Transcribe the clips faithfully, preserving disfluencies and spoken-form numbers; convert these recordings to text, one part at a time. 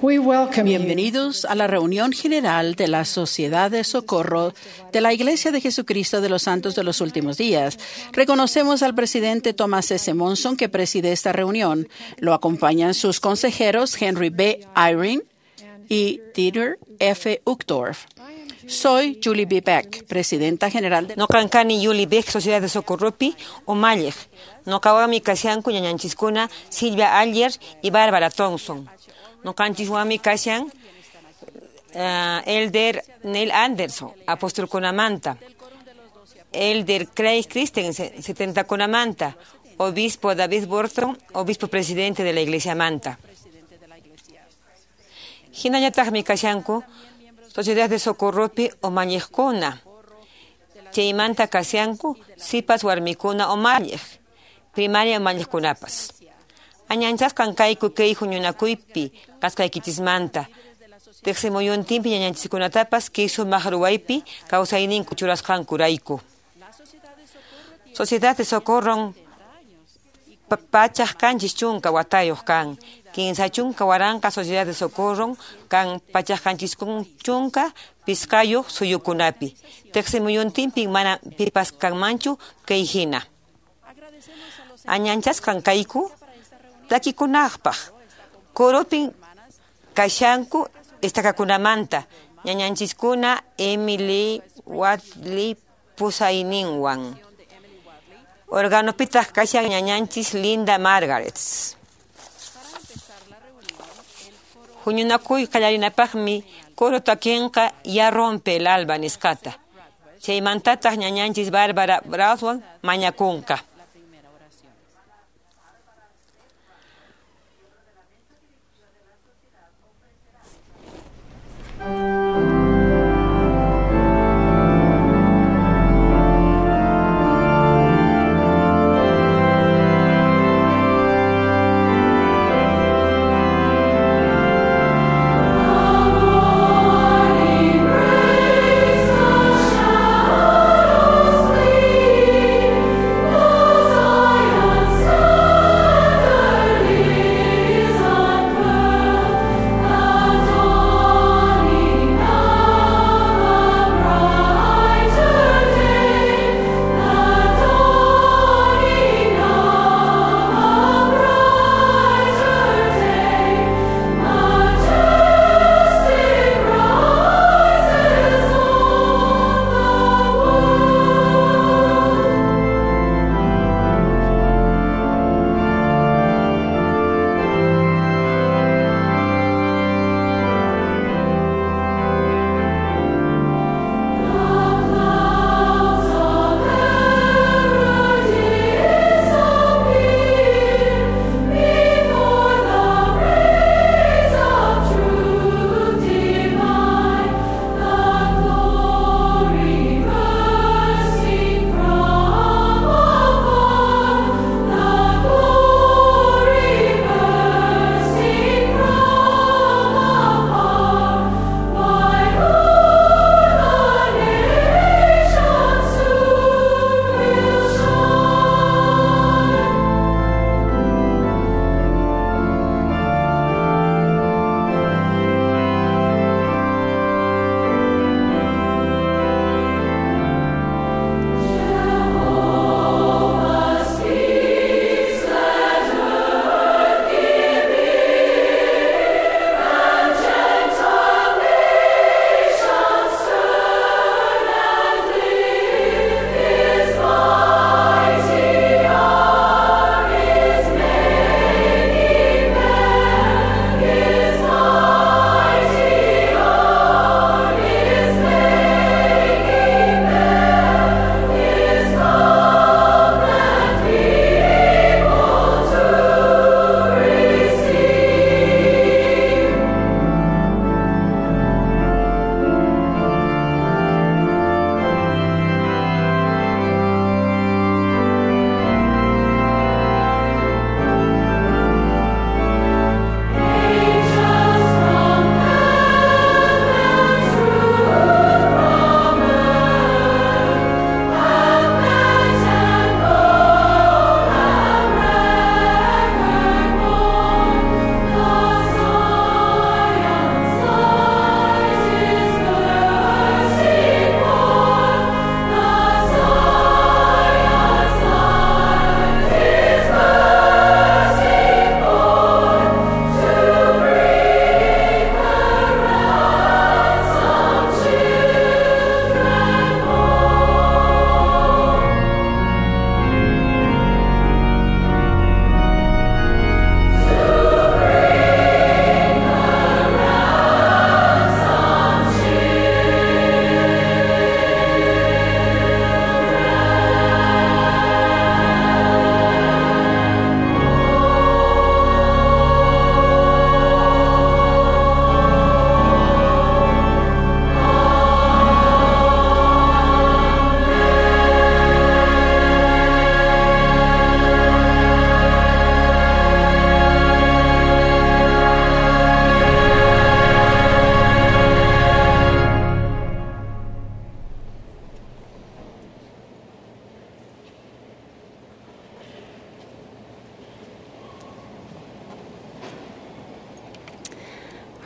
We welcome you Bienvenidos a la reunión general de la Sociedad de Socorro de la Iglesia de Jesucristo de los Santos de los Últimos Días. Reconocemos al presidente Thomas S. Monson, que preside esta reunión. Lo acompañan sus consejeros Henry B. Eyring y Dieter F. Uchtdorf. Soy Julie B. Beck, presidenta general de Noqan kani Yuli Beck, Sociedad de Socorropi, umalliq. Noqawanmi kashanku ñañanchiskuna Silvia Aller y Bárbara Thompson. Noqanchiswanmi kashan uh, Elder Neil Anderson, apóstolkunamanta. Elder Craig Christensen, setentakunamanta. Obispo David Burton, obispo presidente de la Iglesia Manta. Hinallataqmi kashanku Sociedad de Socorropi umalliqkuna. Chaymanta kashanku sipas warmikuna umalliq, primaria umalliqkunapas. Añanchasqan kayku kay huñunakuypi kasqaykichismanta. Tiqsimuyuntinpi ñañanchiskunatapas kay sumaq ruwaypi kawsayninku churasqankurayku. Sociedad de Socorro pachaq kanchis chunka watayuq kan. Kinsa chunka waranqa Sociedad de Socorro kan pachaq kanchis chunka pisqayuq suyukunapi. Tiqsimuyuntinpi mana pipas kanmanchu kay hina. Añanchasqan kayku takikunaqpaq. Coropin kashanku estakakunamanta ñañanchiskuna Emily Watley pusayninwan. Organopitaq kashan ñañanchis Linda Margarets. Huñunakuy qallarinapaqmi coro takinqa Ya rompe el alba nisqata. Chaymantataq ñañanchis Bárbara Brownwan mañakunqa. Morning breaks the shadows flee.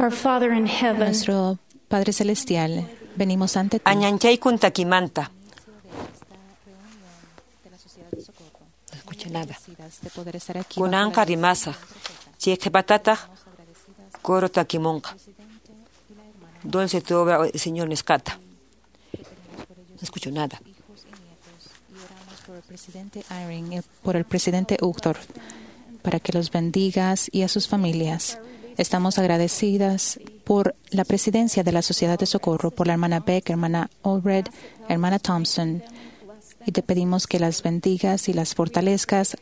Our Father in heaven, Nuestro Padre Celestial, venimos ante ti. Añanchaykun takimanta. No escucho nada. De poder estar aquí Kunanqa rimasaq. Chay qhipatataq coro takimunqa. Dulce tu obra, Señor nisqata. No escucho nada. Por el presidente Eyring y por el presidente Uchtdorf, para que los bendigas y a sus familias. Estamos agradecidas por la presidencia de la Sociedad de Socorro, por la hermana Beck, hermana Allred, hermana Thompson, y te pedimos que las bendigas y las fortalezcas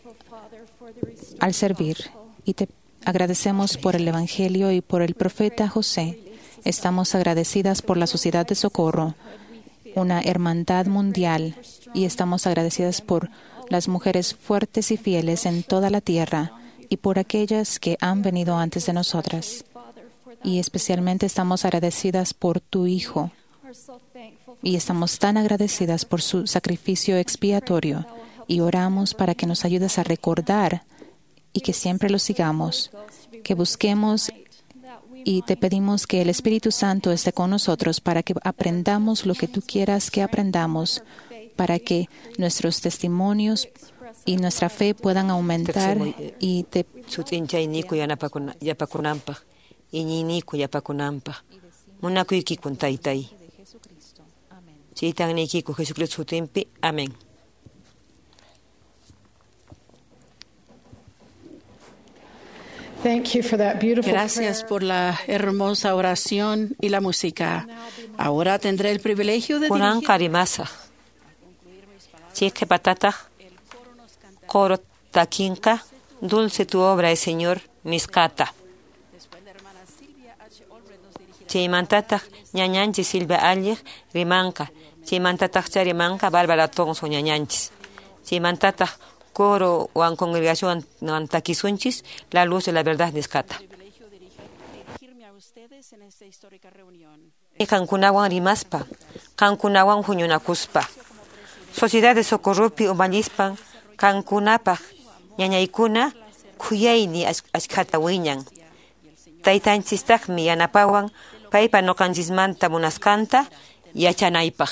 al servir. Y te agradecemos por el Evangelio y por el profeta José. Estamos agradecidas por la Sociedad de Socorro, una hermandad mundial, y estamos agradecidas por las mujeres fuertes y fieles en toda la tierra y por aquellas que han venido antes de nosotras. Y especialmente estamos agradecidas por tu Hijo, y estamos tan agradecidas por su sacrificio expiatorio, y oramos para que nos ayudes a recordar y que siempre lo sigamos, que busquemos, y te pedimos que el Espíritu Santo esté con nosotros para que aprendamos lo que tú quieras que aprendamos, para que nuestros testimonios y nuestra fe puedan aumentar. Y te Sut'inchayniku yanapakuna yapakunanpaq, iñiyniku yapakunanpaq. Munakuykikun taytay. Chaytan niykiku Jesucristo sutinpi. Amén. thank you for that beautiful Gracias por la hermosa oración y la música. Ahora tendré el privilegio de dirigir Kunanqa rimasaq. Chay qhipatataq coro takinqa Dulce tu obra, Señor nisqata. Chaymantataq ñañanchis Silvia Alliq rimanqa. Chaymantataqcha rimanqa Bárbara Thompson ñañanchis. Chaymantataq coro wan congregación wan takisunchis La luz de la verdad nisqata. privilegio de dirigirme a ustedes en esta histórica reunión. Qankunawan rimaspa, qankunawan huñunakuspa. Sociedad de Socorropi umallispan qankunapaq ñañaykuna khuyayni achkhata wiñan. Taytanchistaqmi yanapawan paypa ñuqanchismanta munasqanta yachanaypaq.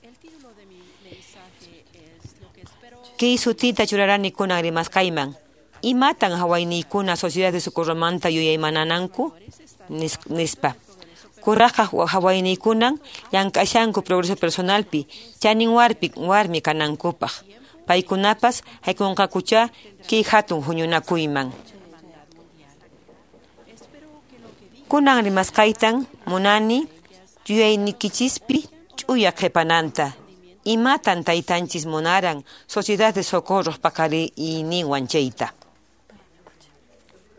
El título de mi mensaje es Lo que espero Kay sutita churarani kunan rimasqayman. Imatan hawayniykuna Sociedad de Socorromanta yuyaymanananku nis- nispa. Kuraqqa hawayniykunan llank'ashanku progreso personalpi, chanin warpi warmi kanankupaq. Paykunapas haykunqakucha kay hatun huñunakuyman. Kunan rimasqaytan munani yuyayniykichispi ch'uya qhipananta. Imatan taytanchis munaran Sociedad de Socorro paqariyninwan chayta.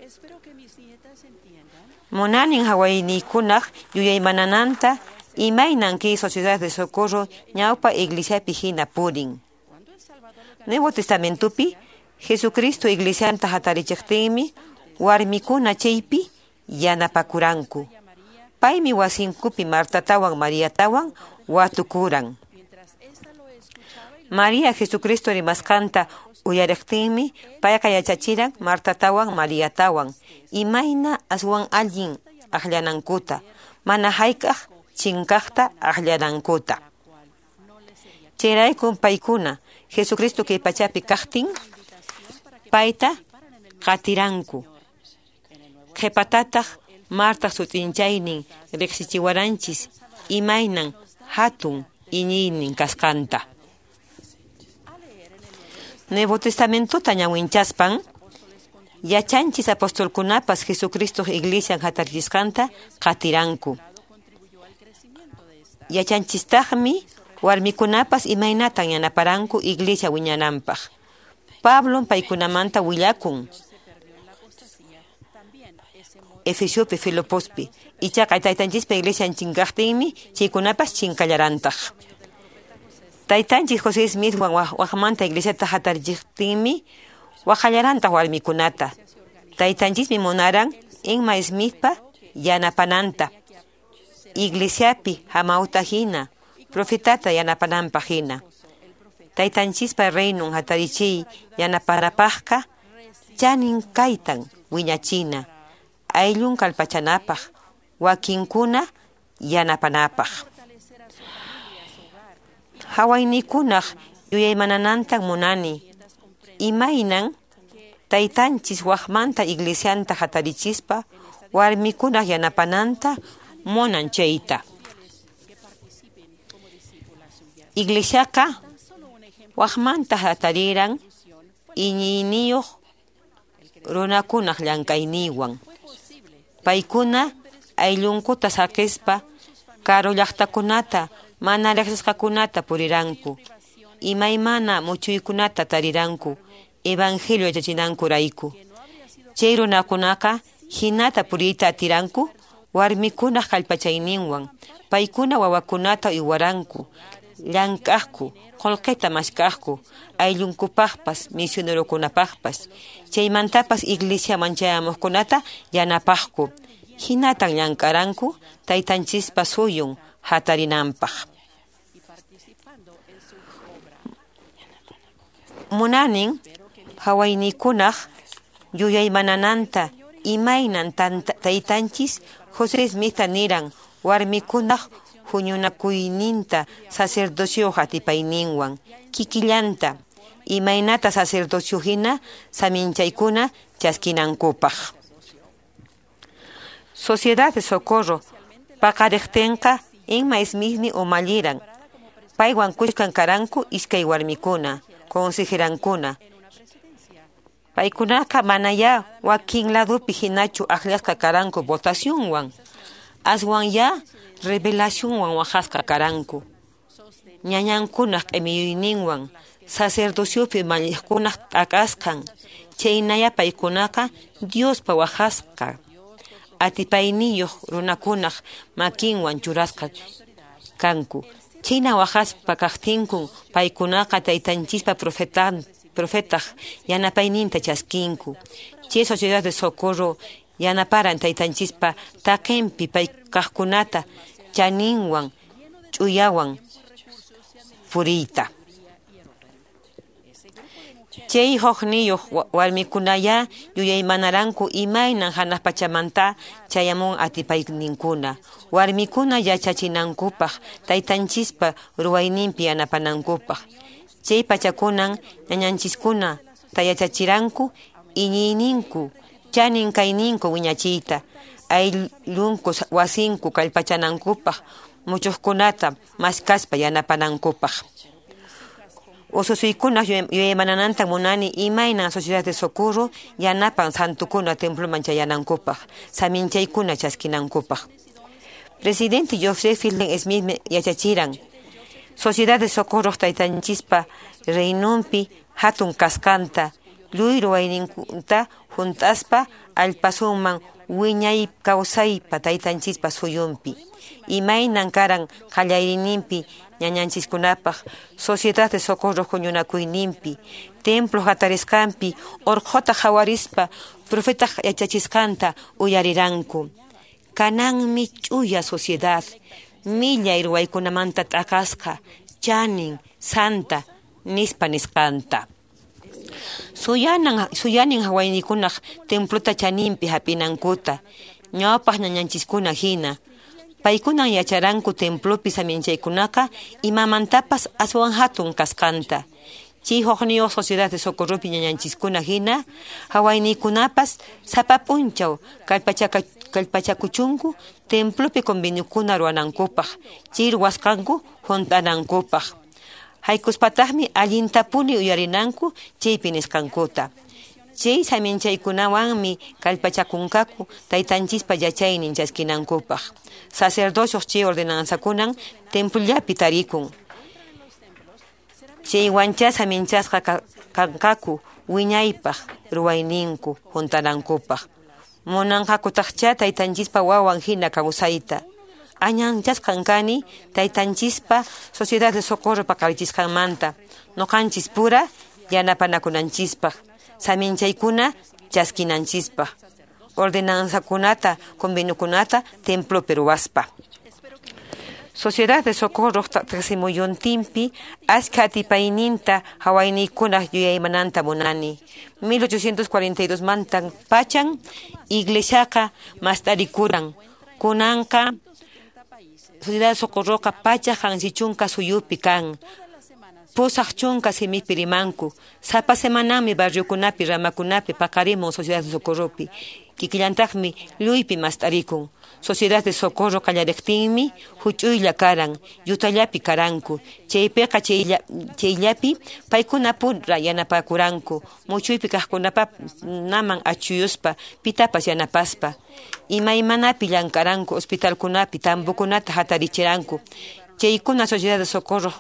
Espero que mis nietas entiendan Munanin hawayniykunaq yuyaymanananta imaynan kay Sociedad de Socorro ñawpa iglesiapi hina purin. cuando el Salvador lo Nuevo Testamentopi Jesucristo iglesianta hatarichiqtinmi warmikuna chaypi yanapakuranku. Paymi wasinkupi Martatawan Mariatawan watukuran. mientras esta lo escuchaba y María Jesucristo rimasqanta uyariqtinmi payqa yachachiran Martatawan Mariatawan imayna aswan allin aqllanankuta, mana hayk'aq chinkaqta aqllanankuta. Chayraykun paykuna Jesucristo kay pachapi kaqtin payta qatiranku. Qhipatataq Martaq sut'inchaynin riqsichiwaranchis imaynan hatun iñiynin kasqanta. Nuevo Testamentota ñawinchaspan yachanchis apostolkunapas Jesucristo iglesian hatarichisqanta qatiranku. Yachanchistaqmi warmikunapas imaynatan yanaparanku iglesia wiñananpaq. Pablon paykunamanta willakun Efesiopi Filipospi. Ichaqa taytanchispa iglesian chinkaqtinmi chaykunapas chinkallarantaq. Taytanchis José Smithwan waqmanta iglesiata hatarichiqtinmi waqallarantaq warmikunata. Taytanchismi munaran Emma Smithpa yanapananta. Iglesiapi hamawta hina, profetata yanapananpaq hina. Taytanchispa reinon hatarichiy yanapanapaqqa chanin kaytan wiñachina. Ayllun kallpachanapaq, wakinkuna yanapanapaq. Hawaynikunaq yuyaymananantan munani, imaynan taytanchis waqmanta iglesianta hatarichispa warmikunaq yanapananta munan chayta. Iglesiaqa waqmanta hatariran iñiyniyuq runakunaq llank'ayninwan. Paykuna ayllunkuta saqispa karu llaqtakunata mana riqsisqakunata puriranku, imaymana muchuykunata tariranku evangelio yachachinankurayku. Chay runakunaqa hinata puriyta atiranku warmikunaq kallpachayninwan, paykuna wawakunata uywaranku, llank'aqku, qullqita mask'aqku, ayllunkupaqpas, misionerokunapaqpas, chaymantapas iglesiaman chayamuqkunata yanapaqku. Hinatan llank'aranku taytanchispa suyun hatarinanpaq. Munanin hawaynikunaq yuyaymanananta imaynan taytanchis José Smithta niran warmikunaq huñunakuyninta sacerdocio atipayninwan kikillanta imaynata sacerdocio hina saminchaykuna chaskinankupaq. Sociedad de Socorro paqariqtinqa Emma Smithmi umalliran, paywan kushkan karanku iskay warmikuna, consejerankuna. Paykunaqa manaya wakin ladupi hinachu akllasqa karanku votacionwan, aswan ya revelacionwan waqasqa karanku. Ñañankunaq q'imiyuyninwan, sacerdociopi malliqkunaq t'akasqan, chaynaya paykunaqa Diospa waqasqa atipayniyuq runakunaq makinwan churasqa kanku. Chayna waqaspa kaqtinkun paykunaqa taytanchispa profetan profetaq yanapayninta chaskinku. Chay Sociedad de Socorro yanaparan taytanchispa taqinpi paykaqkunata chaninwan ch'uyawan puriyta. Chay hukniyuq warmikunaya yuyaymanaranku imaynan hanaq pachamanta chayamun atipayninkuna, warmikuna yachachinankupaq taytanchispa ruwayninpi yanapanankupaq. Chay pachakunan ñañanchiskuna tayachachiranku iñiyninku chanin kayninku wiñachiyta, ayllunku wasinku kallpachanankupaq, muchuqkunata maskaspa yanapanankupaq. Ususuykunaq yuyaymanananta munani imaynan Sociedad de Socorro yanapan santukuna temploman chayanankupaq, saminchaykuna chaskinankupaq. Presidente Joseph Fielding Smith yachachiran Sociedad de Socorro taytanchispa reinunpi hatun kasqanta, lluy ruwayninkunta hunt'aspa allpasunman wiñay kawsaypa taytanchispa suyunpi. Imaynan karan qallariyninpi ñañanchiskunapaq Sociedad de Socorro huñunakuyninpi, templo hatarisqanpi urquta qhawarispa profetaq yachachisqanta uyariranku. Kananmi ch'uya sociedad, millay ruwaykunamanta t'aqasqa, chanin, santa, nispa nisqanta. Suyanan suyanin hawaynikunaq templota chaninpi hap'inankuta, ñawpaq ñañanchiskuna hina. Paykunan yacharanku templopi saminchaykunaqa imamantapas aswan hatun kasqanta. Chay hukniyuq Sociedad de Socorropi ñañanchiskuna hina, hawaynikunapas sapa p'unchaw kallpachakuchunku templopi conveniokuna ruwanankupaq, chay ruwasqanku hunt'anankupaq. Haykuspataqmi allintapuni uyarinanku chaypi nisqankuta. Chay saminchaykunawanmi kallpachakunqaku taytanchispa yachaynin chaskinankupaq. Sacerdocios chay ordenanzakunan templollapi tarikun. Chaywancha saminchasqa kanqaku wiñaypaq ruwayninku hunt'anankupaq. Munanqakutaqcha taytanchispa wawan hina kawsayta. Añanchasqan kani taytanchispa Sociedad de Socorro paqarichisqanmanta, ñuqanchis pura yanapanakunanchispaq, saminchaykuna chaskinanchispaq, ordenanzakunata, conveniokunata templopi ruwaspa. Sociedad de Socorro tiqsimuyuntinpi achka atipayninta hawaynikunaq yuyaymananta munani. mil ochocientos cuarenta y dos mantan pachan iglesiaqa mast'arikuran Kunanqa Sociedad de Socorroqa pachak qanchis suyupi kan. Pusaq chunka simipi rimanku. Sapa semanami barriokunapi ramakunapi paqarimun Sociedad de Socorropi. Kikillantaqmi lluypi mast'arikun. Sociedad de Socorro qallariqtinmi huch'uylla karan, yutallapi karanku. Chaypiqa chayllapi paykuna pura yanapakuranku. Muchuypi kaqkunaman achuyuspa pitapas yanapaspa. Imaymanapi llank'aranku hospitalkunapi tambukunata hatarichiranku. Chaykuna Sociedad de Socorro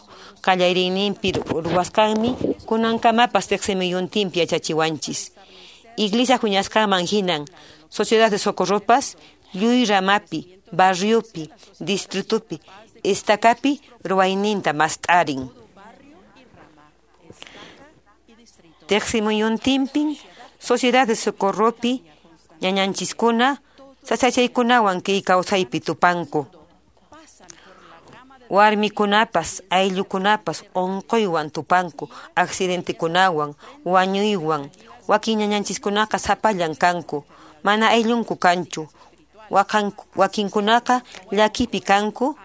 qallariyninpi ruwasqanmi kunankamapas tiqsimiyuntinpi yachachiwanchis. Iglesia huñasqanman hinan Sociedad de Socorropas lluy ramapi, barriopi, distritupi, estacapi ruwayninta mast'arin. Tiqsimuyuntinpin Sociedad de Socorropi ñañanchiskuna sasachaykunawan kay kawsaypi tupanku. Warmikunapas, ayllukunapas unquywan tupanku, accidentekunawan, wañuywan. Wakin ñañanchiskunaqa sapallan kanku, mana ayllunku kanchu. Wakinkunaqa llakipi kanku,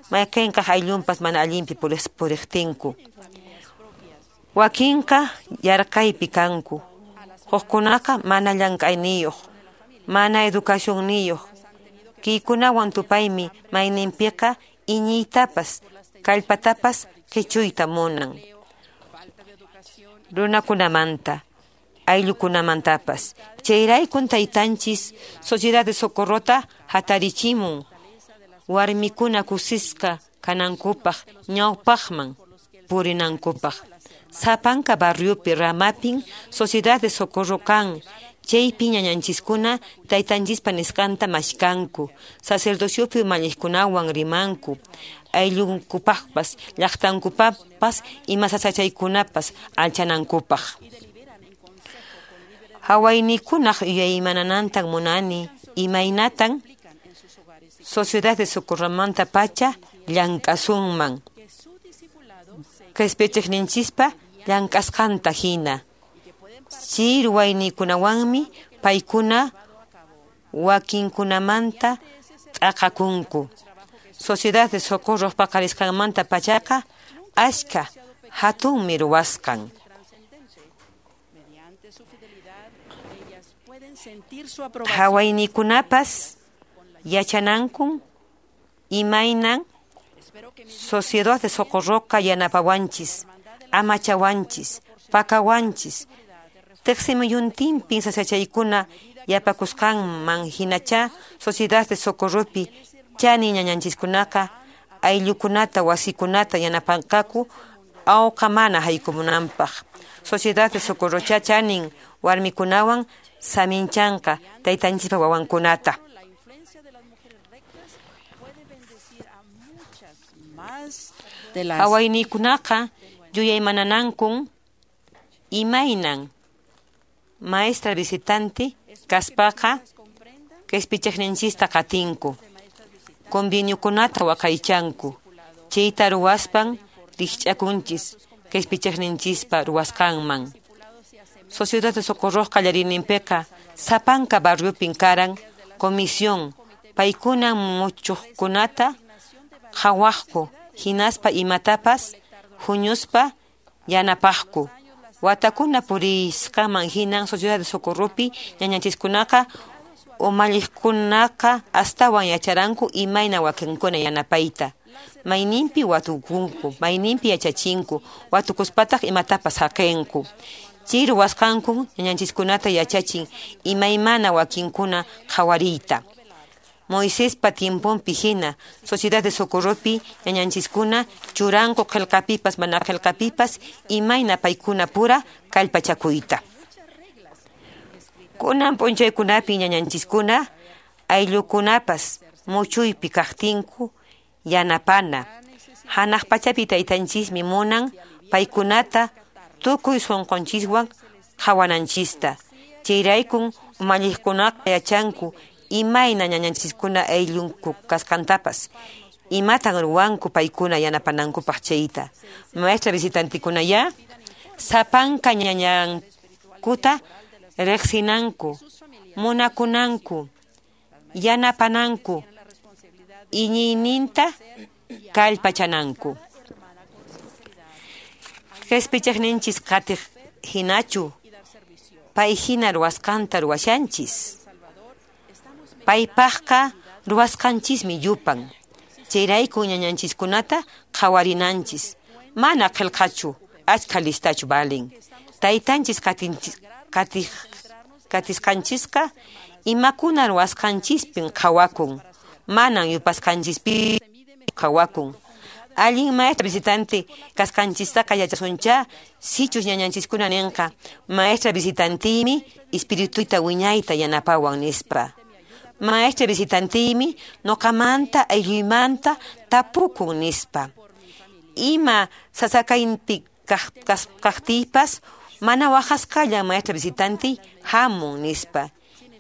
mayqinqaq ayllunpas mana allinpi puriqtinku. Wakinqa yarqaypi kanku, hukkunaqa mana llank'ayniyuq, mana educacionniyuq. Kaykunawan tupaymi mayninpiqa iñiytapas, kallpatapas qichuyta munan. Runakunamanta, ayllukunamantapas. Chayraykun taytanchis Sociedad de Socorrota hatarichimun warmikuna kusisqa kanankupaq ñawpaqman purinankupaq. Sapanka barriopi ramapin Sociedad de Socorro kan. Chaypi ñañanchiskuna taytanchispa nisqanta mashkanku, sacerdociopi umalliqkunawan rimanku, ayllunkupaqpas, llaqtankupaqpas ima sasachaykunapas alchanankupaq. Hawaynikunaq yuyaymananantan munani imaynatan Sociedad de Socorromanta pacha llank'asunman. Qhispichiqninchispa llank'asqanta hina. Chay ruwaynikunawanmi paykuna wakinkunamanta t'aqakunku. Sociedad de Socorro paqarisqanmanta pachaqa achka hatunmi ruwasqan. Hawaynikunapas yachanankun imaynan Sociedad de Socorroqa yanapawanchis, amachawanchis, pakawanchis. Tiqsimuyuntinpin sasachaykuna yapakusqanman hinacha Sociedad de Socorropi chani ñañanchiskunaqa ayllukunata wasikunata yanapanqaku awqa mana haykumunanpaq. Sociedad de Socorrocha chanin warmikunawan saminchanqa taytanchispa wawankunata. Hawaynikunaqa yuyaymananankun imaynan maestra visitante kaspaqa qhispichiqninchista qatinku, conveniokunata waqaychanku, chayta ruwaspan rikch'akunchis qhispichiqninchispa ruwasqanman. Sociedad de Socorro qallariyninpiqa sapanka barriopin karan comisión paykuna muchuqkunata qhawaqku hinaspa imatapas huñuspa yanapaqku. Watakuna purisqaman hinan Sociedad de Socorropi ñañanchiskunaqa umalliqkunaqa astawan yacharanku imayna wakinkuna yanapayta. Mayninpi watukunku, mayninpi yachachinku, watukuspataq imatapas haqinku. Chay ruwasqanku ñañanchiskunata yachachin imaymana wakinkuna qhawariyta. Moisespa tiemponpi hina Sociedad de Socorropi ñañanchiskuna churanku qillqapipas mana qillqapipas imayna paykuna pura kallpachakuyta. Kunan p'unchaykunapi ñañanchiskuna ayllukunapas muchuypi kaqtinku yanapana. Hanaq pachapi taytanchismi munan paykunata tukuy sunqunchiswan qhawananchista. Chayraykun umalliqkunaqa yachanku imayna ñañanchiskuna ayllunku kasqantapas, imatan ruwanku paykuna yanapanankupaq chayta. Maestra visitantikuna ya sapanka ñañankuta riqsinanku, munakunanku, yanapananku, Iñiyninta kallpachananku. Qhispichiqninchis qatiq hinachu pay hina ruwasqanta ruwashanchis. Paypaqqa ruwasqanchismi yupan. Chayrayku ñañanchiskunata qhawarinanchis. Mana qillqachu, achkha listachu valen. Taytanchis qatinchis qatiq qatisqanchisqa imakuna ruwasqanchispin qhawakun. Manan yupasqanchispi qhawakun. Allin maestra visitante kasqanchistaqa yachasuncha sichus ñañanchiskuna ninqa maestra visitantiymi espirituyta wiñayta yanapawan nispa. Maestra visitantiymi nuqamanta aylluymanta tapukun nispa. Ima sasakaypi kaqtiypas mana waqasqalla maestra visitantey hamun nispa.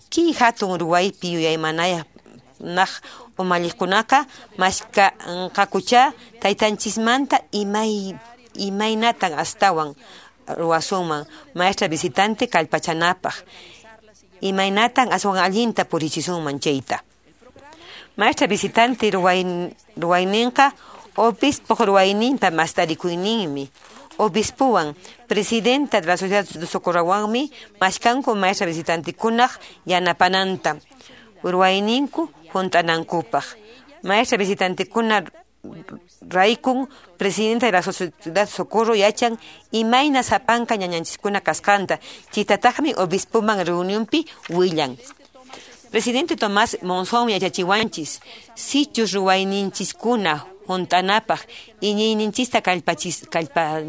Kay hatun ruwaypi yuyaymanayaq umalliqkunaqa mashkanqakucha taytanchismanta imay imaynatan astawan ruwasunman maestra visitante kallpachanapaq. Imaynatan aswan allinta purichisunman chayta. Maestra visitante ruwayninqa obispoq ruwayninpa mastarikuyninmi. Obispowan presidenta de la Sociedad de Socorrowanmi mashkanku maestra visitantekunaq yanapananta ruwayninku hunt'anankupaq. Maestra visitantekuna raykun presidenta de la Sociedad de Socorro yachan imayna sapanka ñañanchiskuna kasqanta chaytataqmi obispoman reunionpi willan. Presidente Tomás Monzón yachachiwanchis sichus ruwayninchiskuna hunt'anapaq iñiyninchista kallpachis kallpa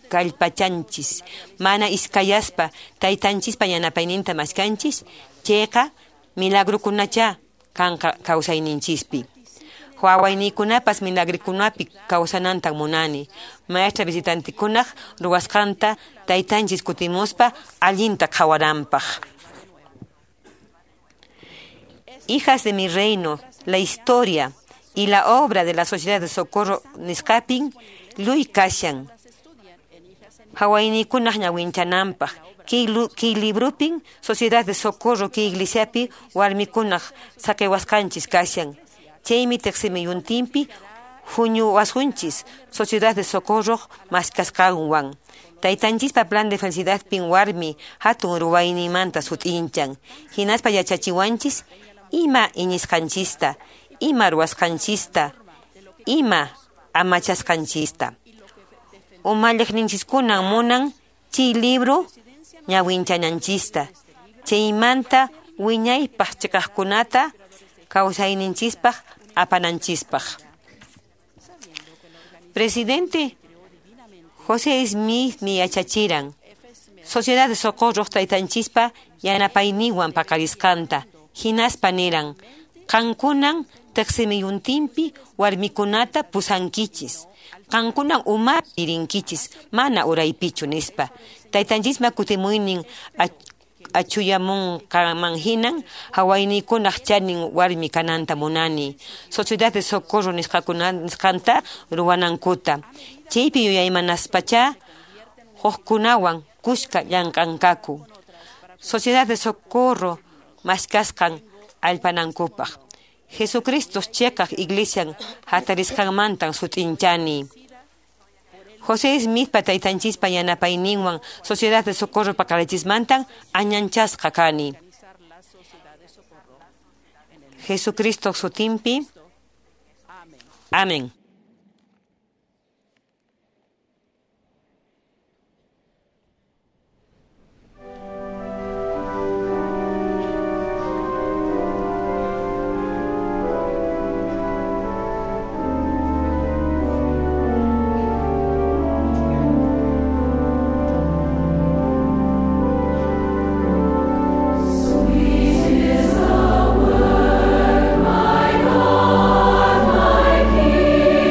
kallpachanchis mana iskayaspa taytanchispa yanapayninta mashkanchis chayqa milagrukunacha kanqa kawsayninchispi. Wawayniykunapas milagrukunapi kawsanantan munani. Maestra visitantekunaq ruwasqanta taytanchis kutimuspa allinta qhawaranpaq. Hijas de mi reino, la historia y la obra de la Sociedad de Socorro nisqapin luy kashan. Hawaynikunaq ñawinchananpaq. Kay librupin Sociedad de Socorro kay iglesiapi warmikunaq saqiwasqanchis kashan. Chaymi tiqsimiyuntinpi huñuwasunchis Sociedad de Socorro maskasqanwan. Taytanchispa plan de felicidadpin warmi hatun ruwaynimanta sut'inchan. Hinaspa yachachiwanchis ima iñisqanchista, ima ruwasqanchista, ima amachasqanchista. Umalliqninchiskunan munan chay libro ñawinchananchista. Chaymanta wiñaypaq chiqaqkunata kawsayninchispaq apananchispaq. Presidente José Smith mi yachachiran Sociedad de Socorro taytanchispa yanapayninwan paqarisqanta. Hinaspa niran qankunan tiqsimiyuntinpi warmikunata pusankichis. Qankunan umapi rinkichis mana uraypichu nispa. Taytanchisma kutimuynin achuyamunqaman hinan hawaynikunaq chanin warmi kananta munani. Sociedad de Socorro nisqakuna nisqanta ruwanankuta. Chaypi yuyaymanaspacha hukkunawan kuska llank'anqaku. Sociedad de Socorro maskasqan allpanankupaq. Jesucristo chiqaq iglesian hatarisqanmantan sut'inchani. José Smithpa taytanchispa yanapayninwan Sociedad de Socorro paqarichismantan añanchasqa kani. Jesucristo sutinpi. Amén. Sweet is the word, my God, my King.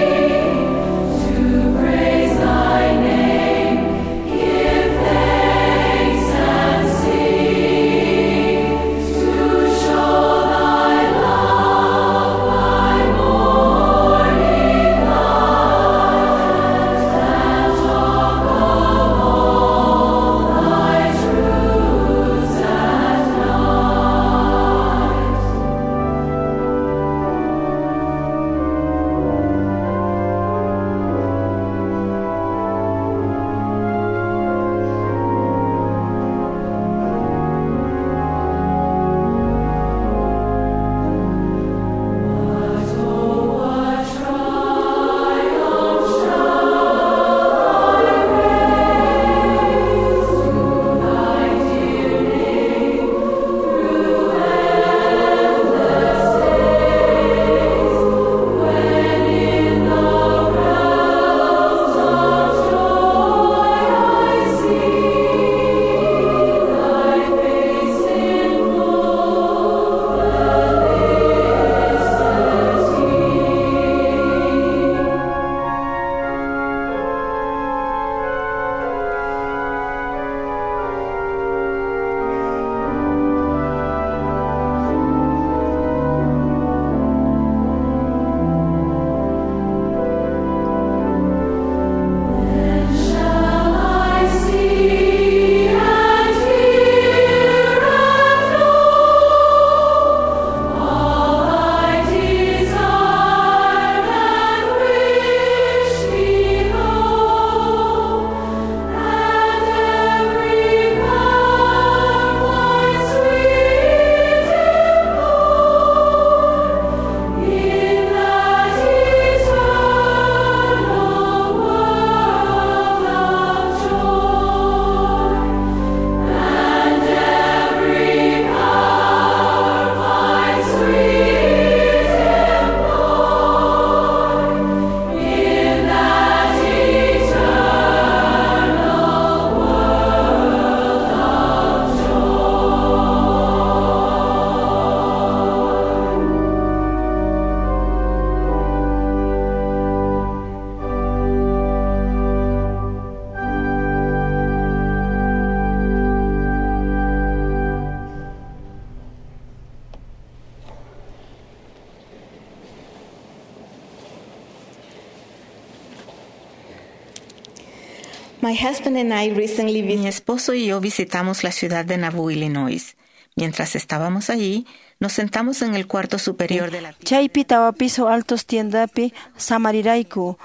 My husband and I recently Mi esposo y yo visitamos la ciudad de Nauvoo, Illinois. Mientras estábamos allí, nos sentamos en el cuarto superior de la tienda. Chaypi tawa piso altos tiendapi samarirayku.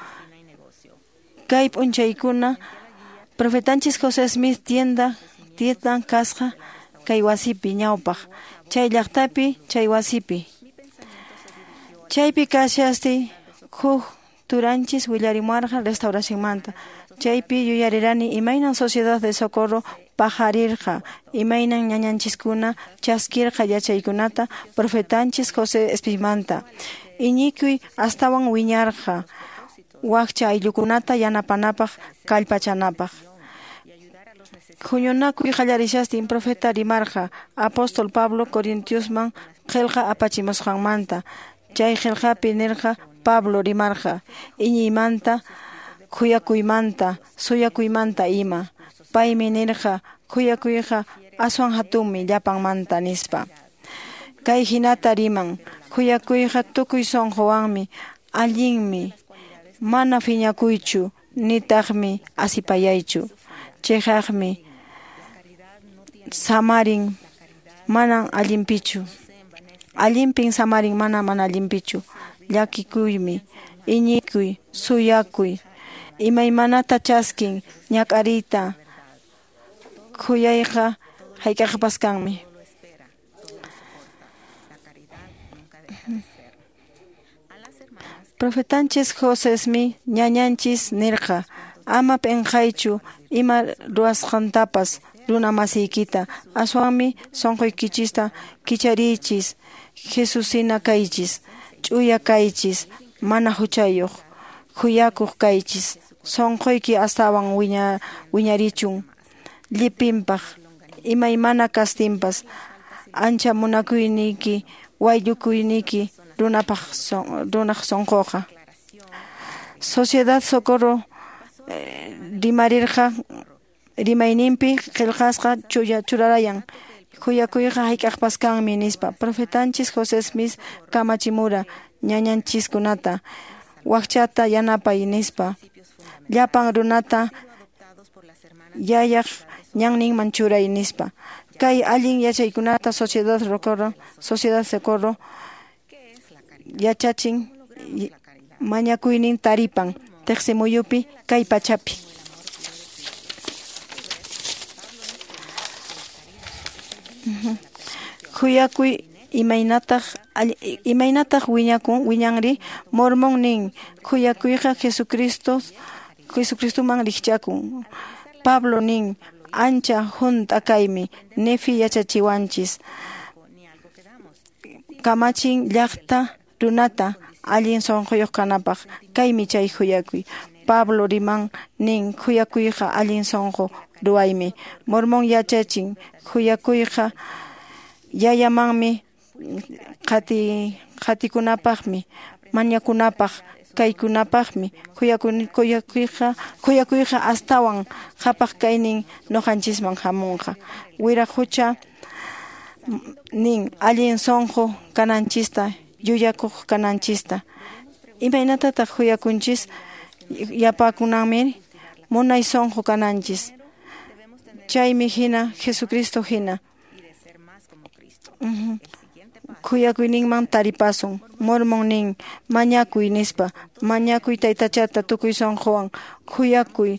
Kay p'unchaykuna profetanchis José Smith tienda tiendan kasqa kay wasipi ñawpaq chay llaqtapi chay wasipi. Chaypi kashasti huk turanchis willarimuarqa restauracionmanta. Chaypi yuyarirani imaynan Sociedad de Socorro pajarirqa, imaynan ñañanchiskuna chaskirqa yachaykunata profetanchis José Smithmanta. Iñikuy astawan wiñarqa wakcha ayllukunata yanapanapaq kallpachanapaq. Huñunakuy qallarishastin profeta rimarqa apóstol Pablo Corintiosman qillqa apachimusqanmanta. Chay qillqapi nirqa Pablo rimarqa iñiymanta, khuyakuymanta, suyakuymanta ima. Paymi nirqa khuyakuyqa aswan hatunmi llapanmanta nispa. Kay hinata riman khuyakuyqa tukuy sunquwanmi, allinmi, mana phiñakuychu, nitaqmi asipayaychu. Chiqaqmi samarin manan allinpichu. Allinpin samarin mana mana allinpichu. Llakikuymi, iñikuy, suyakuy, imaymanata chaskin, ñak'ariyta, khuyayqa hayk'aqpas kanmi. Profetanchis José Smith ñañanchis nirqa ama p'inqaychu ima ruwasqantapas runa masiykita, aswanmi sunquykichista kichariychis, Jesusina kaychis, ch'uya kaychis, mana huchayuq, khuyakuq kaychis, sunquyki astawan wiña, wiñarichun, llipinpaq, imaymana kastinpas, ancha munakuyniyki, wayllukuyniyki runapaq runaq sunquqa. Sociedad Socorro eh, rimarirqa rimayninpi qillqasqa chuya churarayan khuyakuyqa hayk'aqpas kanmi nispa. Profetanchis José Smith kamachimura ñañanchiskunata wakchata yanapay nispa. Llapan runata yayaq ñanninman churay nispa. Kay allin yachaykunata Sociedad Socorro, Sociedad Socorro yachachin mañakuynin taripan teqsimuyupi kay pachapi. Khuyakuy imaynataq imaynataq wiñakun wiñanri Mormón nin khuyakuyqa Jesucristo Jesucristoman rikchakun. Pablo nin ancha hunt'a kaymi Nefi yachachiwanchis kamachin llaqta runata allin sunquyuq kanapaq kaymi chay khuyakuy. Pablo riman nin khuyakuyqa allin sunqu ruwaymi. Mormón yachachin khuyakuyqa yayamanmi qati qatikunapaqmi mañakunapaq kaykunapaqmi khuyakuyqa khuyakuyqa astawan qhapaq kaynin ñuqanchisman hamunqa. Wiraqucha nin allin sunqu kananchista yuyakuq kananchista. Imaynatataq khuyakunchis yapakunanmi munay sunqu kananchis. Chaymi hina Jesucristo hina. Uh-huh. Khuyakuyninman taripasun. Mormón nin mañakuy nispa. Mañakuy taytachata tukuy sunquwan khuyakuy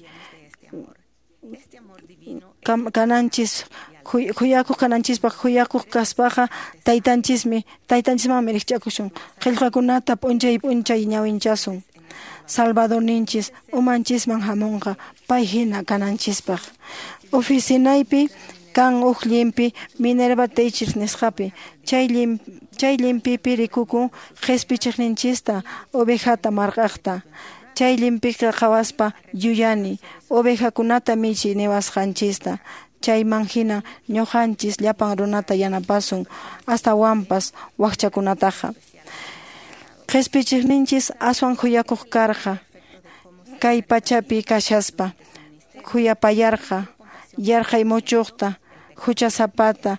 kananchis khuyakuq kananchispaq khuyakuq kaspaqa taytanchismi taytanchismanmi rikch'akusun. Qillqakunata p'unchay p'unchay ñawinchasun. Salvadorninchis umanchisman hamunqa pay hina kananchispaq. Oficinaypi kan huk llimpi Minerva Teachers nisqapi. Chay lim, chay limpipi rikukun qhispichiqninchista ovejata marq'aqta. Chay limpiqa qhawaspa yuyani ovejakunata michiy niwasqanchista. Chayman hina ñuqanchis llapan runata yanapasun astawanpas wakchakunataqa. Qhispichiqninchis aswan khuyakuq karqa kay pachapi kashaspa khuyapayarqa yarqay muchuqta huchasapata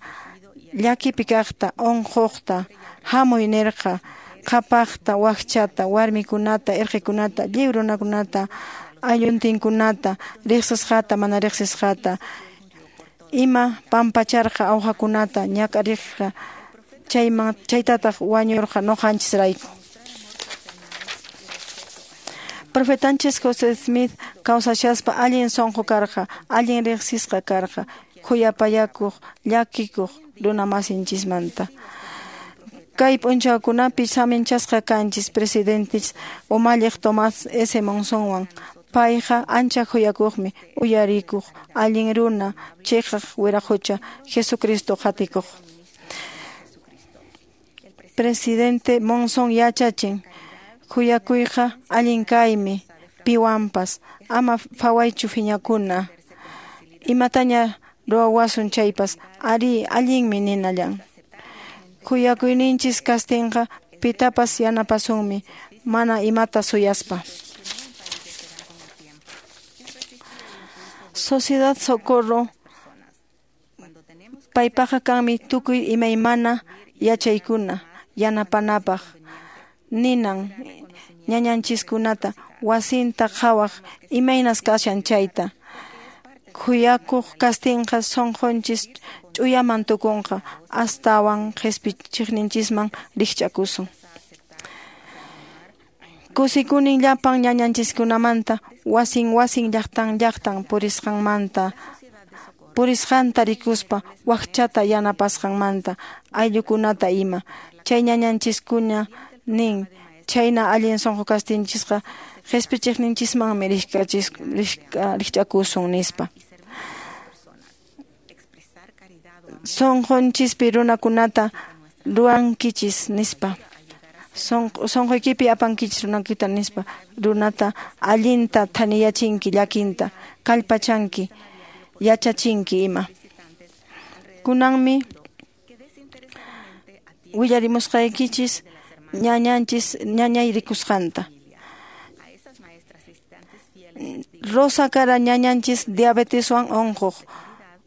llakipi kaqta unquqta hamuy nirqa qhapaqta wakchata warmikunata irqikunata lliw runakunata aylluntinkunata, riqsisqata mana riqsisqata, ima pampacharqa awqakunata ñak'ariqqa, chayman chaytataq wañurqa ñuqanchisrayku. Profetanchis José Smith kawsashaspa allin sunqu karqa, allin riqsisqa karqa, khuyapayakuq, llakikuq runa masinchismanta. Kay p'unchawkunapi saminchasqa kanchis presidentes umalliq Tomás S. Monsonwan. Payqa ancha khuyakuqmi, uyarikuq, allin runa, chiqaq wiraqucha, Jesucristo qatikuq. Presidente Monson yachachin, khuyakuyqa allin kaymi, piwanpas, ama phawaychu phiñakuna. Imataña ruwawasun chaypas, ari allinmi ninallan. Khuyakuyninchis kastinqa pitapas yanapasunmi, mana imata suyaspa. Sociedad Socorro paypaqa kanmi tukuy imaymana yachaykuna yanapanapaq, ninan ñañanchiskunata wasinta qhawaq imaynas kashan chayta. Khuyakuq kastinqa sunqunchis ch'uyaman tukunqa, astawan qhispichiqninchisman rikch'akusun. Kusikunin llapan ñañanchiskunamanta, wasin wasin llaqtan llaqtan purisqanmanta, purisqanta rikuspa wakchata yanapasqanmanta, ayllukunata ima. Chay ñañanchiskuna nin, chayna allin sunqu kastinchisqa qhispichiqninchismanmi rikch'akusun nispa. Sunqunchispi runakunata ruwankichis nispa. Sunquykipi apankichis runakita nispa. Runata allinta thaniyachinki llakinta, kallpachanki, yachachinki ima. Kunanmi willarimusqaykichis ñañanchis ñañay rikusqanta. Rosa kara ñañanchis diabeteswan unquq.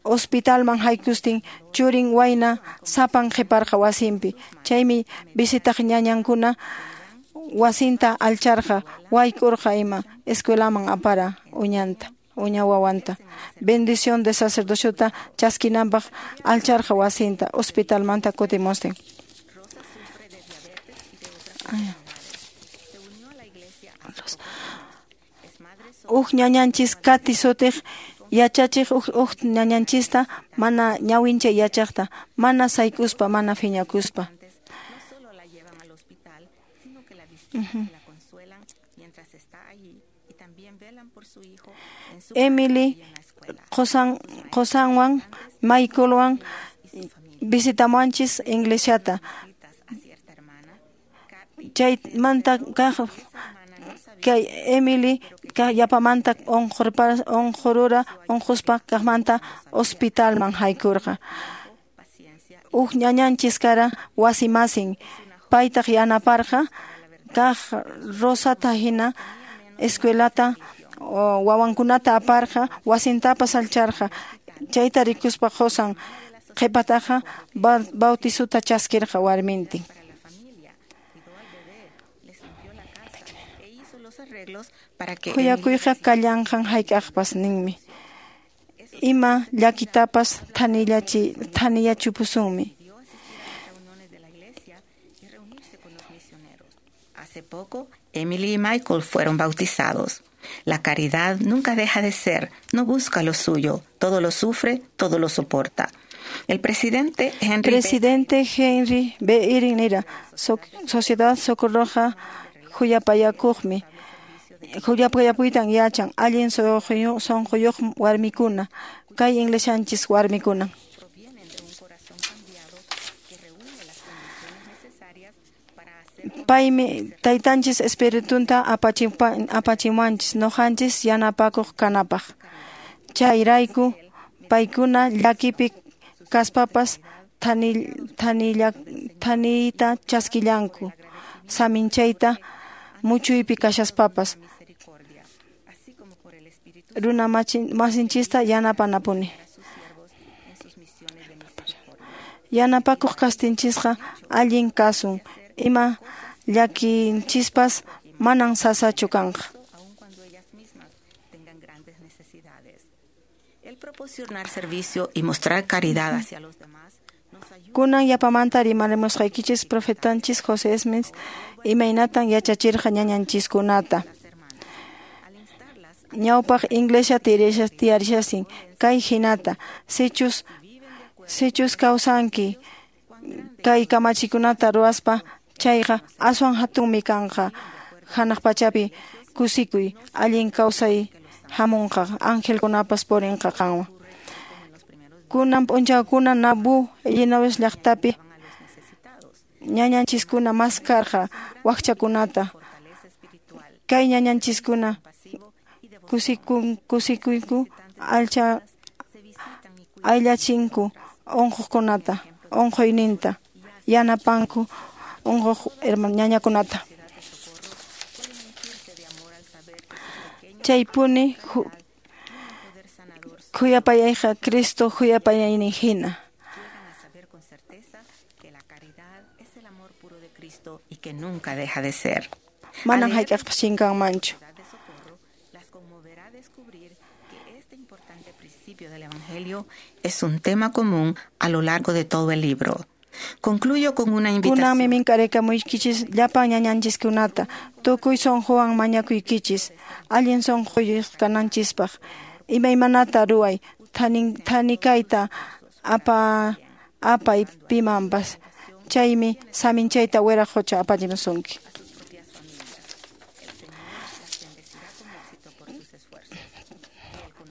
Hospitalman haykustin churin wayna sapan qhiparqa wasinpi. Chaymi visitaq ñañankuna wasinta alcharqa, wayk'urqa ima, escuelaman apara uñanta, uña wawanta. Bendición de sacerdociota chaskinanpaq alcharqa wasinta, hospitalmanta kutimustin. Uj ñañanchis Kati sutiq yachachiq uj uj ñañanchista mana ñawinchay yachaqta, mana sayk'uspa, mana phiñakuspa. Emily qosan qosanwan Michaelwan visitamuanchis iglesiata. Chaymanta kaq kay Emily yapamanta unqurura unquspa kaqmanta hospitalman haykurqa. Uj ñañanchis kara wasimasin, paytaq yanaparqa kaq Rosata hina escuelata wawankunata aparqa, wasintapas alcharqa. Chayta rikuspa qosan qhipataqa bautizuta chaskirqa warmintin. Khuyakuyqa kallanqan hayk'aqpas ninmi. Ima llakitapas thanillachi thanillachupusunmi. Hace poco, Emily y Michael fueron bautizados. La caridad nunca deja de ser, no busca lo suyo, todo lo sufre, todo lo soporta. El presidente Henry Presidente Henry B. Eyring nira, so, Sociedad Socorroja khuyapayakuqmi. Khuyapayakuytan yachan allin sunquyuq warmikuna, kay iglesianchis warmikuna. Paymi taytanchis espiritunta apachimuanchis ñuqanchis yanapakuq kanapaq. Chayrayku paykuna llakipi kaspapas thaniyta chaskillanku, saminchayta muchuypi kashaspapas. Runa masinchista yanapanapuni. Yanapakuq kastinchisqa allin kasun, ima llakinchispas manan sasachu kanqa. Proporcionar servicio y mostrar caridad hacia los demás. Kunan yapamanta rimarimusqaykichis profetanchis José Smith imaynatan yachachirqa ñañanchiskunata. Ñawpaq iglesia tiyarishasin kay hinata sichus sichus kawsanki kay kamachikunata ruwaspa chayqa aswan hatunmi kanqa hanaq pachapi kusikuy allin kawsay hamunqa angelkunapas purinqa qanwan. Kunan p'unchawkuna Nauvoo Illinois llaqtapi ñañanchiskuna maskarqa wakchakunata. Kay ñañanchiskuna kusikun kusikuyku alcha ayllachinku unquqkunata unquyninta yanapanku unquq ñañakunata. Chaypuni khuyapayayqa Cristo khuyapayaynin hina. Y que nunca deja de ser. Manan hayk'aqpas chinkanmanchu. Del Evangelio es un tema común a lo largo de todo el libro. Concluyo con una invitación. Kunanmi minkaraykamuykichis llapan ñañanchiskunata tukuy sunquwan mañakuykichis allin sunquyuq kananchispaq imaymanata ruway thanikayta apa apay pimanpas chaymi saminchayta wiraqucha apachimusunki.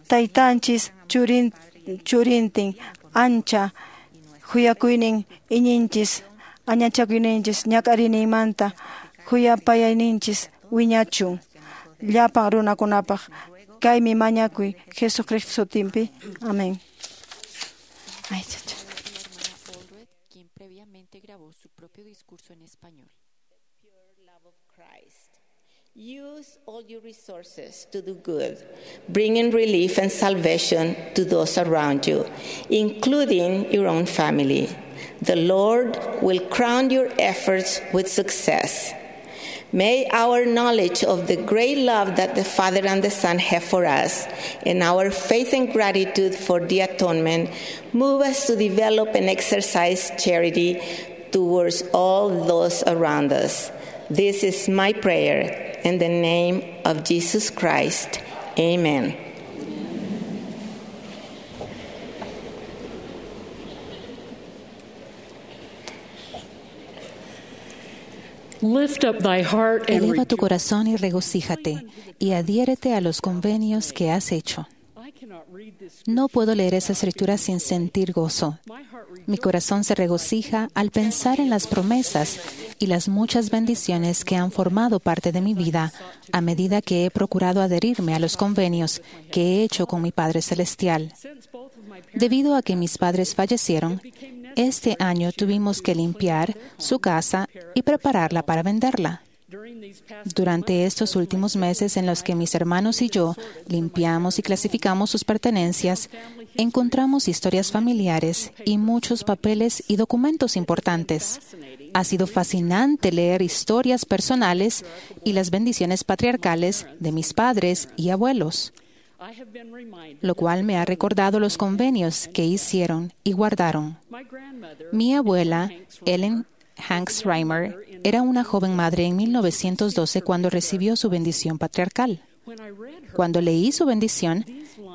Taytanchis churin churintin ancha khuyakuynin iñinchis añachakuyninchis ñak'ariyninmanta khuyapayayninchis wiñachun llapan runakunapaq kaymi mañakuy Jesucristo sutinpi. Amén. Ay, chacha. Quien previamente grabó su propio discurso en español. Use all your resources to do good, bringing relief and salvation to those around you, including your own family. The Lord will crown your efforts with success. May our knowledge of the great love that the Father and the Son have for us, and our faith and gratitude for the atonement, move us to develop and exercise charity towards all those around us. This is my prayer. In the name of Jesus Christ, amen. Lift up thy heart and Eleva tu corazón y regocíjate, y adhiérete a los convenios que has hecho. No puedo leer esa escritura sin sentir gozo. Mi corazón se regocija al pensar en las promesas y las muchas bendiciones que han formado parte de mi vida a medida que he procurado adherirme a los convenios que he hecho con mi Padre Celestial. Debido a que mis padres fallecieron, este año tuvimos que limpiar su casa y prepararla para venderla. Durante estos últimos meses en los que mis hermanos y yo limpiamos y clasificamos sus pertenencias, encontramos historias familiares y muchos papeles y documentos importantes. Ha sido fascinante leer historias personales y las bendiciones patriarcales de mis padres y abuelos, lo cual me ha recordado los convenios que hicieron y guardaron. Mi abuela, Ellen Hanks Reimer, era una joven madre en mil novecientos doce cuando recibió su bendición patriarcal. Cuando leí su bendición,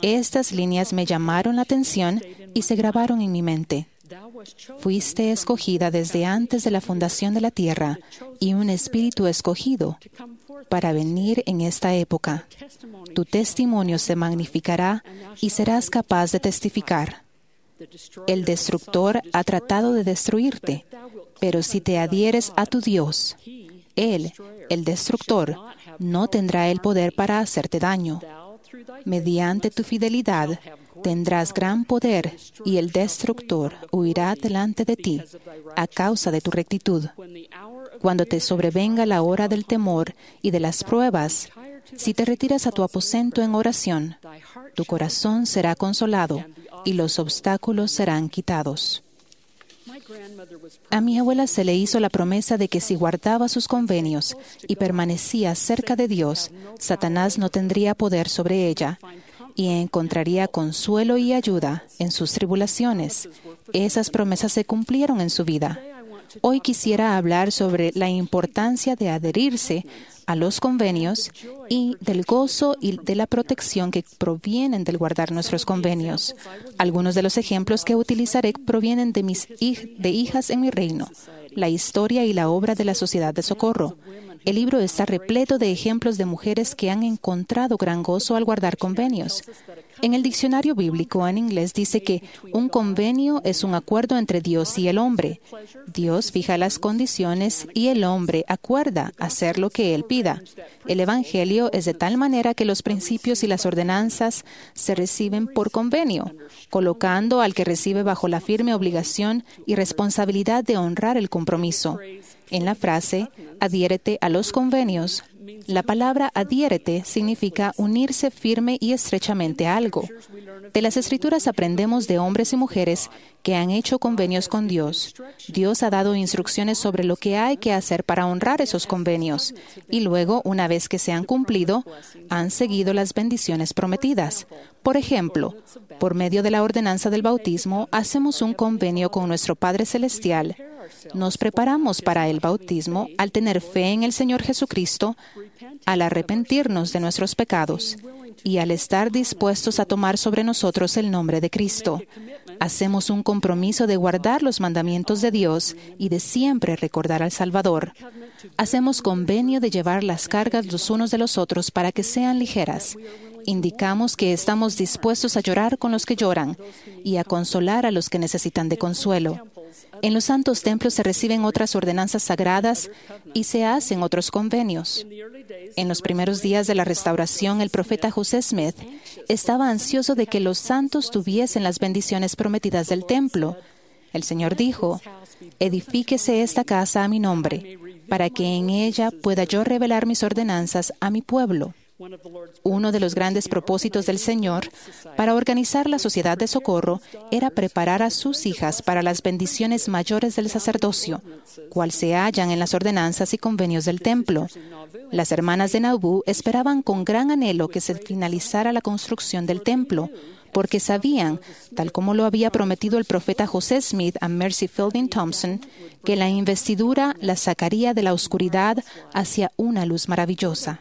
estas líneas me llamaron la atención y se grabaron en mi mente. Fuiste escogida desde antes de la fundación de la tierra y un espíritu escogido para venir en esta época. Tu testimonio se magnificará y serás capaz de testificar. El destructor ha tratado de destruirte, pero si te adhieres a tu Dios, Él, el destructor, no tendrá el poder para hacerte daño. Mediante tu fidelidad tendrás gran poder y el destructor huirá delante de ti a causa de tu rectitud. Cuando te sobrevenga la hora del temor y de las pruebas, si te retiras a tu aposento en oración, tu corazón será consolado y los obstáculos serán quitados. A mi abuela se le hizo la promesa de que si guardaba sus convenios y permanecía cerca de Dios, Satanás no tendría poder sobre ella y encontraría consuelo y ayuda en sus tribulaciones. Esas promesas se cumplieron en su vida. Hoy quisiera hablar sobre la importancia de adherirse a los convenios y del gozo y de la protección que provienen del guardar nuestros convenios. Algunos de los ejemplos que utilizaré provienen de mis hij- de hijas en mi reino, la historia y la obra de la Sociedad de Socorro. El libro está repleto de ejemplos de mujeres que han encontrado gran gozo al guardar convenios. En el diccionario bíblico en inglés dice que un convenio es un acuerdo entre Dios y el hombre. Dios fija las condiciones y el hombre acuerda hacer lo que él pida. El Evangelio es de tal manera que los principios y las ordenanzas se reciben por convenio, colocando al que recibe bajo la firme obligación y responsabilidad de honrar el compromiso. En la frase, adhiérete a los convenios, la palabra adhiérete significa unirse firme y estrechamente a algo. De las Escrituras aprendemos de hombres y mujeres que han hecho convenios con Dios. Dios ha dado instrucciones sobre lo que hay que hacer para honrar esos convenios y luego, una vez que se han cumplido, han seguido las bendiciones prometidas. Por ejemplo, por medio de la ordenanza del bautismo, hacemos un convenio con nuestro Padre Celestial. Nos preparamos para el bautismo al tener fe en el Señor Jesucristo, al arrepentirnos de nuestros pecados y al estar dispuestos a tomar sobre nosotros el nombre de Cristo. Hacemos un compromiso de guardar los mandamientos de Dios y de siempre recordar al Salvador. Hacemos convenio de llevar las cargas los unos de los otros para que sean ligeras. Indicamos que estamos dispuestos a llorar con los que lloran y a consolar a los que necesitan de consuelo. En los santos templos se reciben otras ordenanzas sagradas y se hacen otros convenios. En los primeros días de la restauración, el profeta José Smith estaba ansioso de que los santos tuviesen las bendiciones prometidas del templo. El Señor dijo, «Edifíquese esta casa a mi nombre, para que en ella pueda yo revelar mis ordenanzas a mi pueblo». Uno de los grandes propósitos del Señor para organizar la Sociedad de Socorro era preparar a sus hijas para las bendiciones mayores del sacerdocio, cual se hallan en las ordenanzas y convenios del templo. Las hermanas de Nauvoo esperaban con gran anhelo que se finalizara la construcción del templo, porque sabían, tal como lo había prometido el profeta José Smith a Mercy Fielding Thompson, que la investidura la sacaría de la oscuridad hacia una luz maravillosa.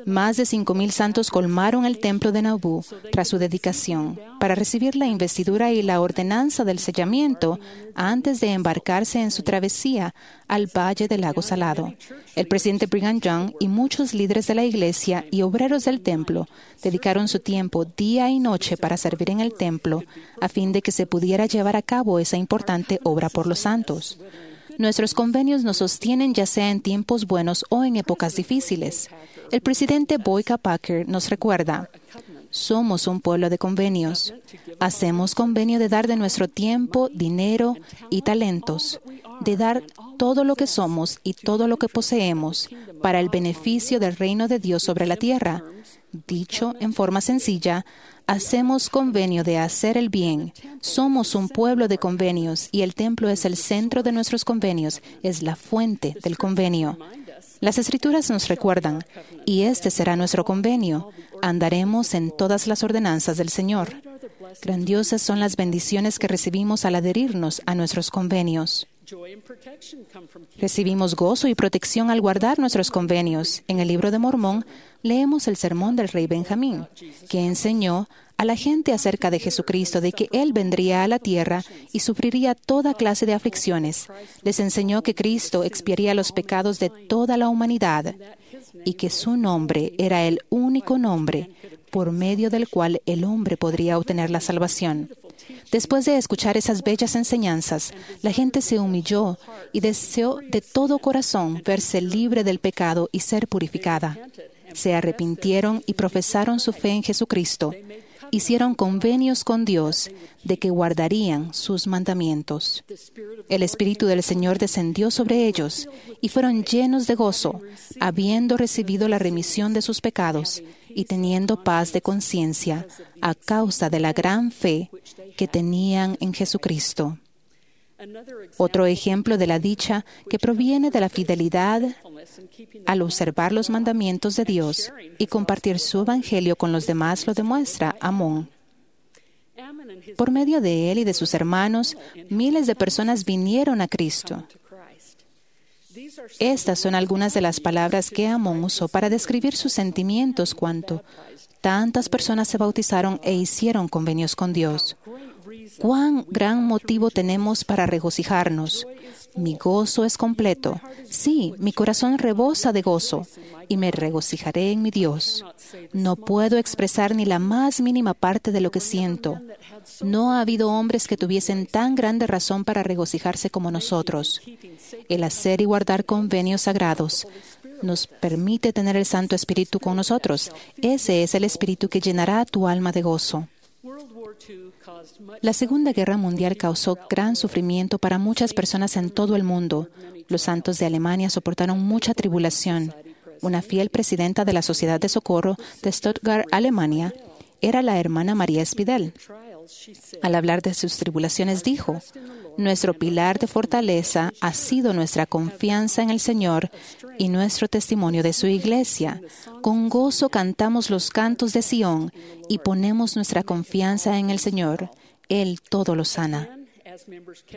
Más de cinco mil santos colmaron el templo de Nauvoo tras su dedicación para recibir la investidura y la ordenanza del sellamiento antes de embarcarse en su travesía al Valle del Lago Salado. El presidente Brigham Young y muchos líderes de la iglesia y obreros del templo dedicaron su tiempo día y noche para servir en el templo a fin de que se pudiera llevar a cabo esa importante obra por los santos. Nuestros convenios nos sostienen ya sea en tiempos buenos o en épocas difíciles. El presidente Boyd K. Packer nos recuerda, somos un pueblo de convenios. Hacemos convenio de dar de nuestro tiempo, dinero y talentos, de dar todo lo que somos y todo lo que poseemos para el beneficio del reino de Dios sobre la tierra. Dicho en forma sencilla, hacemos convenio de hacer el bien. Somos un pueblo de convenios y el templo es el centro de nuestros convenios, es la fuente del convenio. Las Escrituras nos recuerdan, y este será nuestro convenio. Andaremos en todas las ordenanzas del Señor. Grandiosas son las bendiciones que recibimos al adherirnos a nuestros convenios. Recibimos gozo y protección al guardar nuestros convenios. En el libro de Mormón leemos el sermón del rey Benjamín, que enseñó a la gente acerca de Jesucristo, de que Él vendría a la tierra y sufriría toda clase de aflicciones. Les enseñó que Cristo expiaría los pecados de toda la humanidad y que su nombre era el único nombre por medio del cual el hombre podría obtener la salvación. Después de escuchar esas bellas enseñanzas, la gente se humilló y deseó de todo corazón verse libre del pecado y ser purificada. Se arrepintieron y profesaron su fe en Jesucristo. Hicieron convenios con Dios de que guardarían sus mandamientos. El Espíritu del Señor descendió sobre ellos y fueron llenos de gozo, habiendo recibido la remisión de sus pecados y teniendo paz de conciencia a causa de la gran fe que tenían en Jesucristo. Otro ejemplo de la dicha que proviene de la fidelidad Al observar los mandamientos de Dios y compartir su evangelio con los demás lo demuestra Amón. Por medio de él y de sus hermanos, miles de personas vinieron a Cristo. Estas son algunas de las palabras que Amón usó para describir sus sentimientos cuando tantas personas se bautizaron e hicieron convenios con Dios. ¡Cuán gran motivo tenemos para regocijarnos! Mi gozo es completo. Sí, mi corazón rebosa de gozo y me regocijaré en mi Dios. No puedo expresar ni la más mínima parte de lo que siento. No ha habido hombres que tuviesen tan grande razón para regocijarse como nosotros. El hacer y guardar convenios sagrados nos permite tener el Santo Espíritu con nosotros. Ese es el Espíritu que llenará tu alma de gozo. La Segunda Guerra Mundial causó gran sufrimiento para muchas personas en todo el mundo. Los santos de Alemania soportaron mucha tribulación. Una fiel presidenta de la Sociedad de Socorro de Stuttgart, Alemania, era la hermana María Spidel. Al hablar de sus tribulaciones dijo, «Nuestro pilar de fortaleza ha sido nuestra confianza en el Señor y nuestro testimonio de su iglesia. Con gozo cantamos los cantos de Sión y ponemos nuestra confianza en el Señor. Él todo lo sana».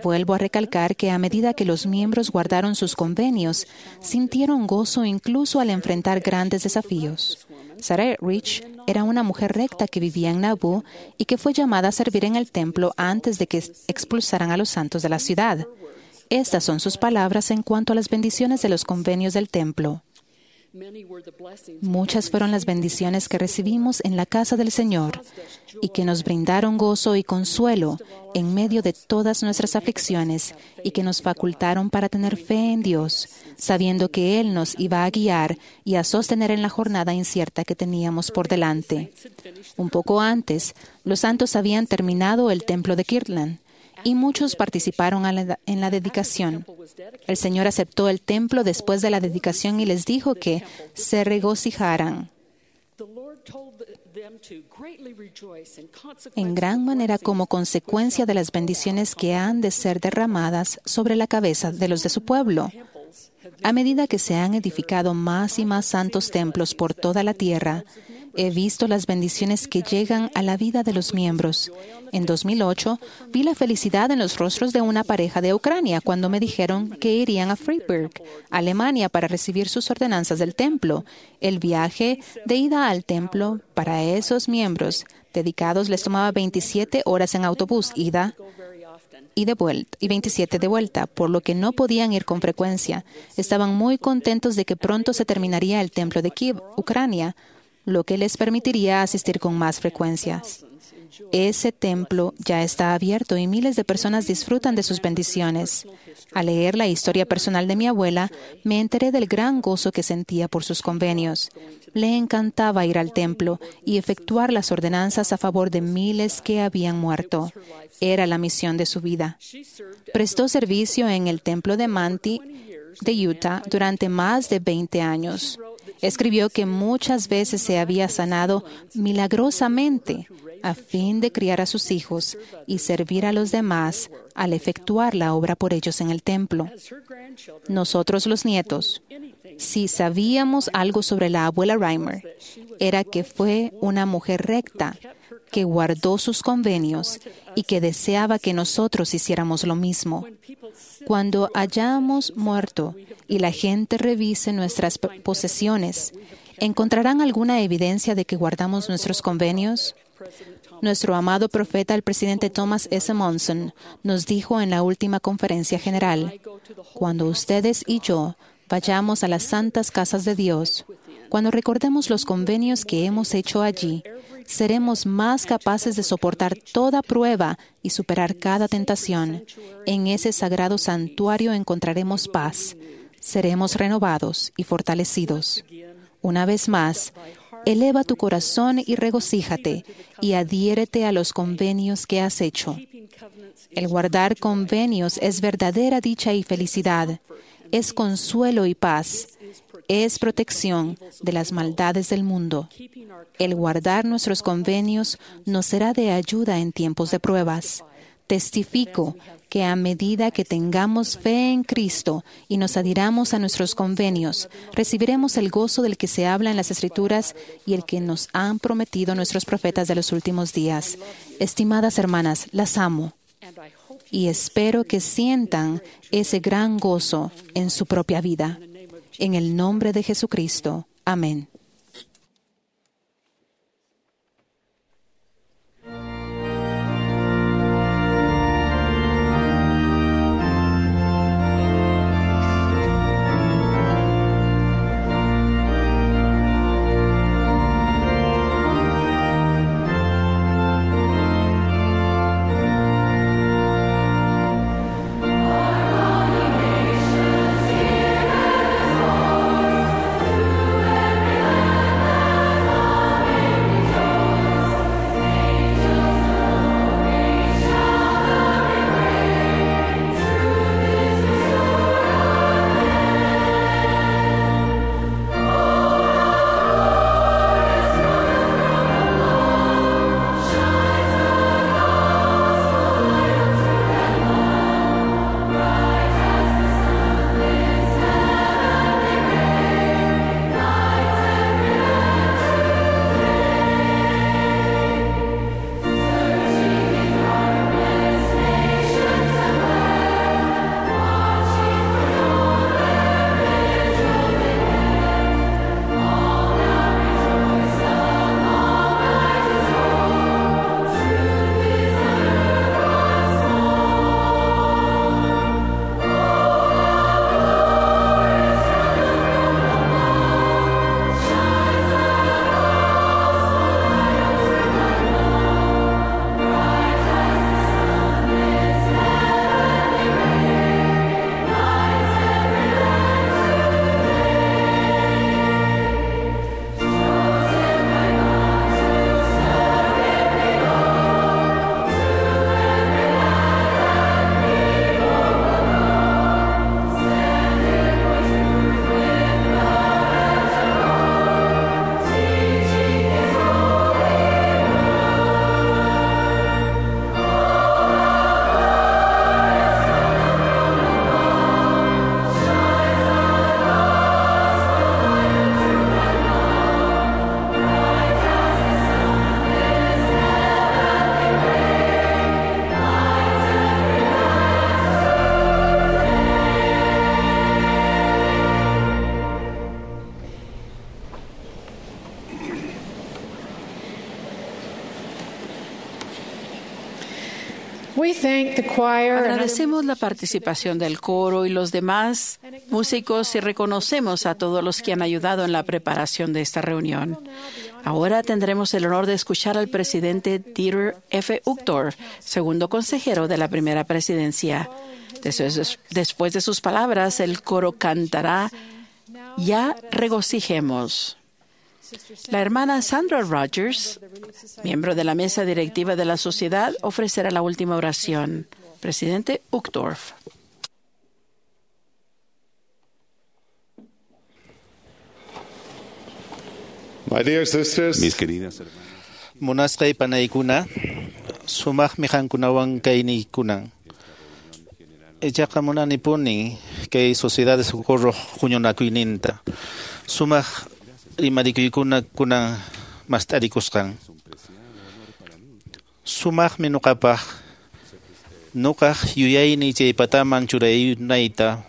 Vuelvo a recalcar que a medida que los miembros guardaron sus convenios, sintieron gozo incluso al enfrentar grandes desafíos. Sarah Rich era una mujer recta que vivía en Nauvoo y que fue llamada a servir en el templo antes de que expulsaran a los santos de la ciudad. Estas son sus palabras en cuanto a las bendiciones de los convenios del templo. Muchas fueron las bendiciones que recibimos en la casa del Señor y que nos brindaron gozo y consuelo en medio de todas nuestras aflicciones y que nos facultaron para tener fe en Dios, sabiendo que Él nos iba a guiar y a sostener en la jornada incierta que teníamos por delante. Un poco antes, los santos habían terminado el templo de Kirtland y muchos participaron en la dedicación. El Señor aceptó el templo después de la dedicación y les dijo que se regocijaran en gran manera como consecuencia de las bendiciones que han de ser derramadas sobre la cabeza de los de su pueblo. A medida que se han edificado más y más santos templos por toda la tierra, he visto las bendiciones que llegan a la vida de los miembros. En dos mil ocho, vi la felicidad en los rostros de una pareja de Ucrania cuando me dijeron que irían a Freiburg, Alemania, para recibir sus ordenanzas del templo. El viaje de ida al templo para esos miembros dedicados les tomaba veintisiete horas en autobús, ida y de vuelta, y veintisiete de vuelta, por lo que no podían ir con frecuencia. Estaban muy contentos de que pronto se terminaría el templo de Kiev, Ucrania, lo que les permitiría asistir con más frecuencias. Ese templo ya está abierto y miles de personas disfrutan de sus bendiciones. Al leer la historia personal de mi abuela, me enteré del gran gozo que sentía por sus convenios. Le encantaba ir al templo y efectuar las ordenanzas a favor de miles que habían muerto. Era la misión de su vida. Prestó servicio en el templo de Manti de Utah durante más de veinte años. Escribió que muchas veces se había sanado milagrosamente a fin de criar a sus hijos y servir a los demás al efectuar la obra por ellos en el templo. Nosotros los nietos, si sabíamos algo sobre la abuela Reimer, era que fue una mujer recta, que guardó sus convenios y que deseaba que nosotros hiciéramos lo mismo. Cuando hayamos muerto y la gente revise nuestras posesiones, ¿encontrarán alguna evidencia de que guardamos nuestros convenios? Nuestro amado profeta, el presidente Thomas S. Monson, nos dijo en la última conferencia general, cuando ustedes y yo vayamos a las santas casas de Dios, cuando recordemos los convenios que hemos hecho allí, seremos más capaces de soportar toda prueba y superar cada tentación. En ese sagrado santuario encontraremos paz. Seremos renovados y fortalecidos. Una vez más, eleva tu corazón y regocíjate y adhiérete a los convenios que has hecho. El guardar convenios es verdadera dicha y felicidad. Es consuelo y paz. Es protección de las maldades del mundo. El guardar nuestros convenios nos será de ayuda en tiempos de pruebas. Testifico que a medida que tengamos fe en Cristo y nos adhiramos a nuestros convenios, recibiremos el gozo del que se habla en las Escrituras y el que nos han prometido nuestros profetas de los últimos días. Estimadas hermanas, las amo y espero que sientan ese gran gozo en su propia vida. En el nombre de Jesucristo. Amén. Agradecemos la participación del coro y los demás músicos y reconocemos a todos los que han ayudado en la preparación de esta reunión. Ahora tendremos el honor de escuchar al presidente Dieter F. Uchtdorf, segundo consejero de la primera presidencia. Después de sus palabras, el coro cantará Ya regocijemos. La hermana Sandra Rogers, miembro de la mesa directiva de la sociedad, ofrecerá la última oración. Presidente Uchtdorf. My dear sisters, Mis queridas hermanas, Munasqay panaykuna, sumaqmi qankunawan kayniykunan. Ichaqa munanipuni kay Sociedad de Socorro huñunakuyninta. Sumaq rimarikuykuna kunan mast'arikusqan. Sumaqmi nuqapaq nuqaq yuyayni chay pataman churaynayta.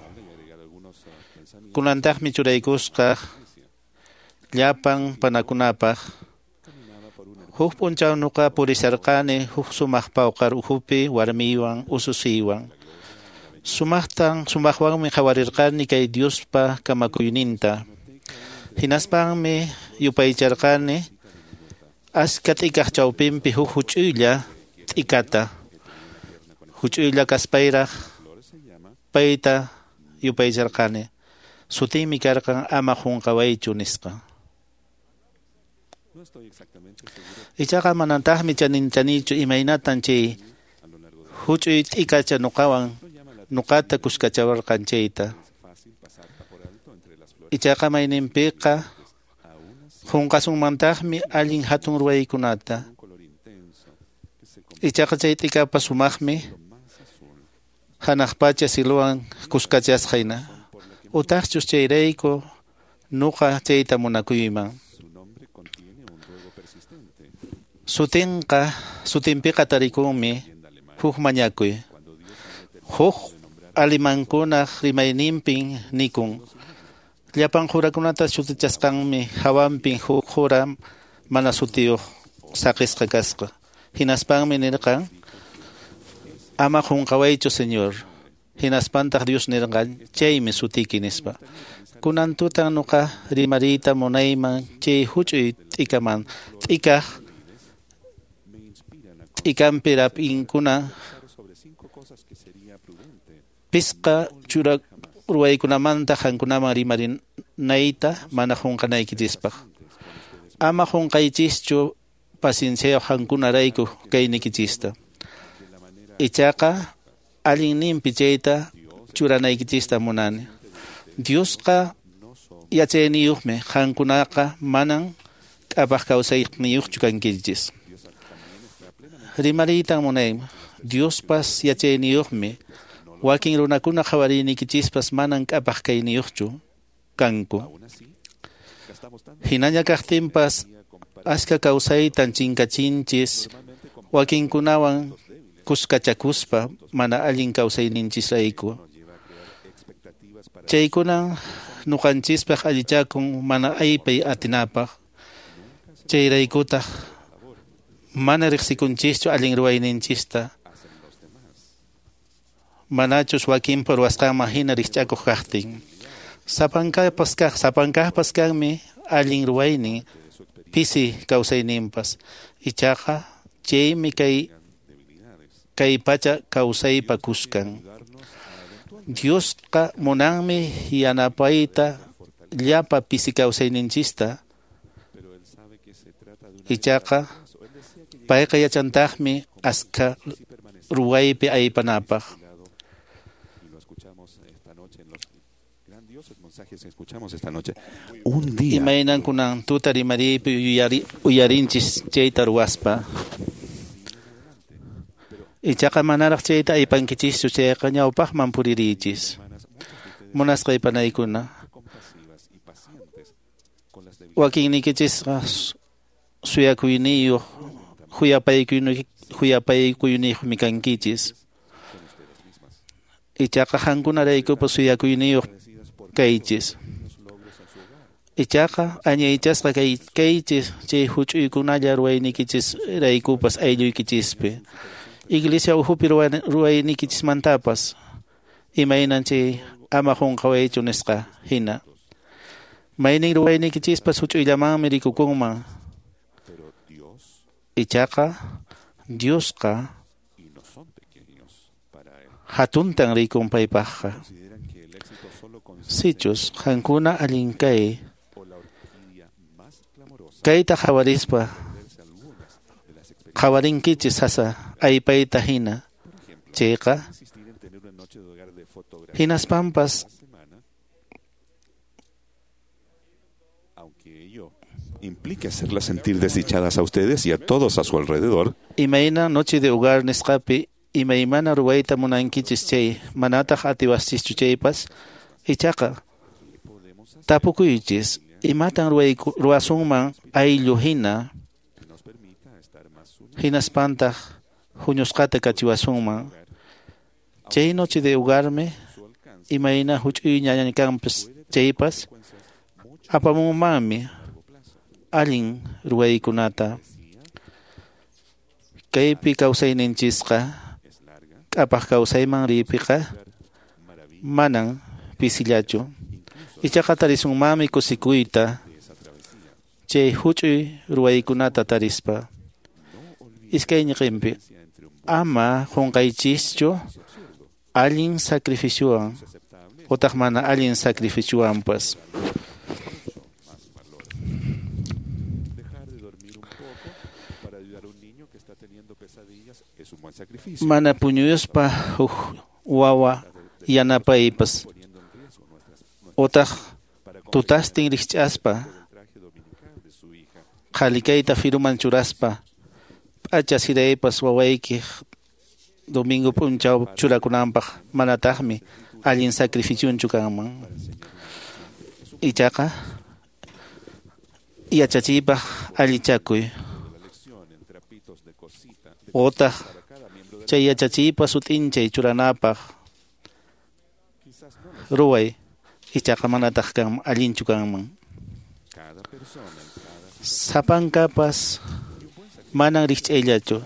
Kunantaqmi churaykusqa llapan panakunapaq. Huk p'unchaw nuqa purisharqani huk sumaq pawqar ukhupi warmiywan ususiywan. Sumaqtan sumaqwanmi qhawarirqani kay Diospa kamakuyninta. Hinaspanmi yupaycharqani aska t'ikaq chawpinpi huk huch'uylla t'ikata. Huch'uylla kaspayraq payta yupaycharqani. Sutinmi karqan ama qunqawaychu nisqa. Ichaqa manataqmi chaninchanichu imaynatan chay huch'uy t'ikacha nuqawan nuqata kuskachawarqan chayta. Ichaqa mayninpiqa qunqasunmantaqmi allin hatun ruwaykunata. Ichaqa chay t'ikapas sumaqmi hanaq pacha siluwan kuskachasqa hina. Utaqchus chayrayku nuqa chayta munakuyman. Sutinqa sutinpiqa tarikunmi huk mañakuy. Huk alimankunaq rimayninpin nikun. Llapan qurakunata sutichasqanmi hawanpin huk qura mana sutiyuq saqisqa kasqa. Hinaspanmi nirqan ama qunqawaychu Señor. Hinaspantaq Dios nirqan chaymi sutiki nispa. Kunan tutan nuqa rimariyta munayman chay huch'uy t'ikaman t'ikaq t'ikanpi rap'inkuna pisqa chura ruwaykunamanta qankunaman rimarinayta mana qunqanaykichispaq. Ama qunqaychischu pacienciayuq qankunarayku kaynikichista. Ichaqa allinninpi chayta churanaykichista munani. Diosqa yachayniyuqmi qankunaqa manan k'apaq kawsayniyuqchu kankichis. Rimariytan munayman Diospas yachayniyuqmi wakin runakuna qhawariynikichispas manan k'apaq kayniyuqchu kanku. Hinaña kaqtinpas achka kawsaytan chinkachinchis wakinkunawan kuskachakuspa mana allin kawsayninchisrayku. Chaykunan nuqanchispaq allichakun mana aypay atinapaq. Chayraykutaq mana riqsikunchischu allin ruwayninchista. Manachus wakinpa ruwasqanman hina rikch'akuq kaqtin. Sapankaqpas kaq sapankaqpas kanmi allin ruwaynin pisi kawsayninpas. Ichaqa chaymi kay kay pacha kawsaypa kuskan. Diosqa munanmi yanapayta llapa pisi kawsayninchista. Ichaqa payqa yachantaqmi aska ruwaypi aypanapaq. Imaynan kunan tuta rimariypi uyarinchis chayta ruwaspa. Ichaqa manaraq chayta aypankichischu chayqa ñawpaqman puririychis. Munasqa aypanaykuna. Wakinniykichisqa suyakuyniyuq huyapaykuyniyoqmi kankichis. Ichaqa qankunaraykupas suyakuyniyuq kaychis. Ichaqa añaychasqa kaychis chay huch'uykunalla ruwaynikichis raykupas aylluykichispi. Iglesia ukhupi ruwaynikichismantapas imaynan chay ama qunqawaychu nisqa hina. Maynin ruwaynikichispas huch'uyllamanmi rikukunman. Ichaqa Diosqa hatuntan rikun paypaqqa. Sichus qankuna allin kay kayta qhawarispa qhawarinkichis sasa aypayta hina chayqa hinaspanpas implique hacerlas sentir desdichadas a ustedes y a todos a su alrededor. Imayna noche de hogar nisqapi imaymana ruwayta munankichis chay manataq atiwaschischu chaypas ichaqa tapukuychis imatan ruwasunman ayllu hina hinaspantaq huñusqata kachiwasunman. Chay noche de hogarmi imayna huch'uyñaña kanpas chaypas apamunmanmi allin ruwaykunata. Kaypi kawsayninchisqa k'apaq kawsayman riypiqa manan pisillachu. Ichaqa tarisunmanmi kusikuyta chay huch'uy ruwaykunata tarispa. Iskay ñiqinpi ama qunqaychischu allin sacrificiowan utaq mana allin sacrificiowanpas. Mana puñuyuspa huk wawa yanapaypas utaq tutastin rikch'aspa qhalikayta firuman churaspa P'acha siraypas wawaykiq domingo p'unchaw churakunanpaq manataqmi allin sacrificionchu kanman. Ichaqa yachachiypaq allichakuy. Otaq chay yachachiypa sut'inchay churanapaq ruway ichaqa manataq kan allinchu kanman. Sapankapas manan rikch'ayllachu.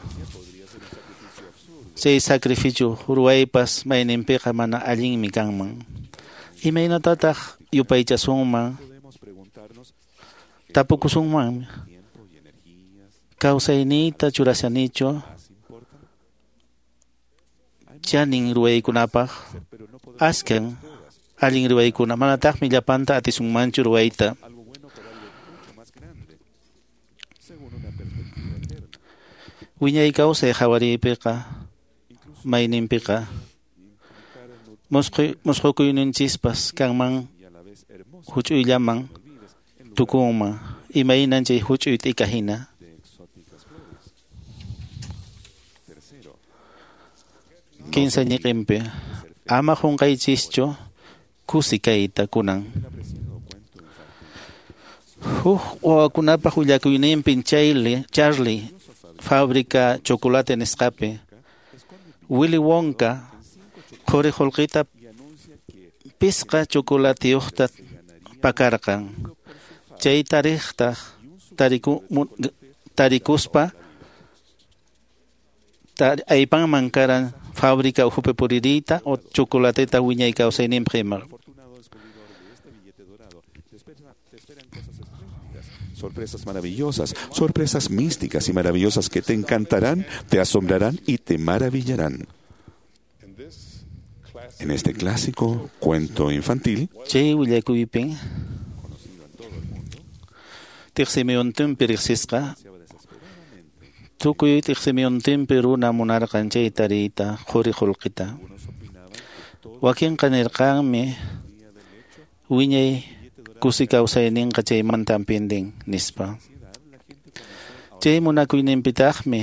Chay sacrificio ruwaypas mayninpiqa mana allinmi kanman. Imaynatataq yupaychasunman tapukusunmanmi. Kawsayniyta churashanichu chanin ruwaykunapaq askan allin ruwaykuna manataqmi llapanta atisunmanchu ruwayta. Wiñay kawsay hawariypiqa mayninpiqa musqukuyninchispas kanman huch'uyllaman tukunman imaynan chay huch'uy t'ika hina. Kinsa ñiqinpi ama qunqaychischu kusi kayta kunan. Huk wawakunapaq willakuyninpin Charlie, Charlie fábrica chocolate nisqapi Willy Wonka quri qullqita pisqa chocolateyuqta pakarqan. Chay tariqtaq tariku, tarikuspa tar, aypanman karan fábrica ukhupi puririyta o chocolateta wiñay kawsayninpaq ima. Sorpresas maravillosas, sorpresas místicas y maravillosas que te encantarán, te asombrarán y te maravillarán. En este clásico cuento infantil, chay willakuypin tiqsimiyuntinpi riqsisqa tukuy tiqsimiyuntinpi runa munarqan chay tariyta quri qullqita. Wakinqa nirqanmi wiñay kusi kawsayninqa chaymantan pindin nispa. Chay munakuyninpitaqmi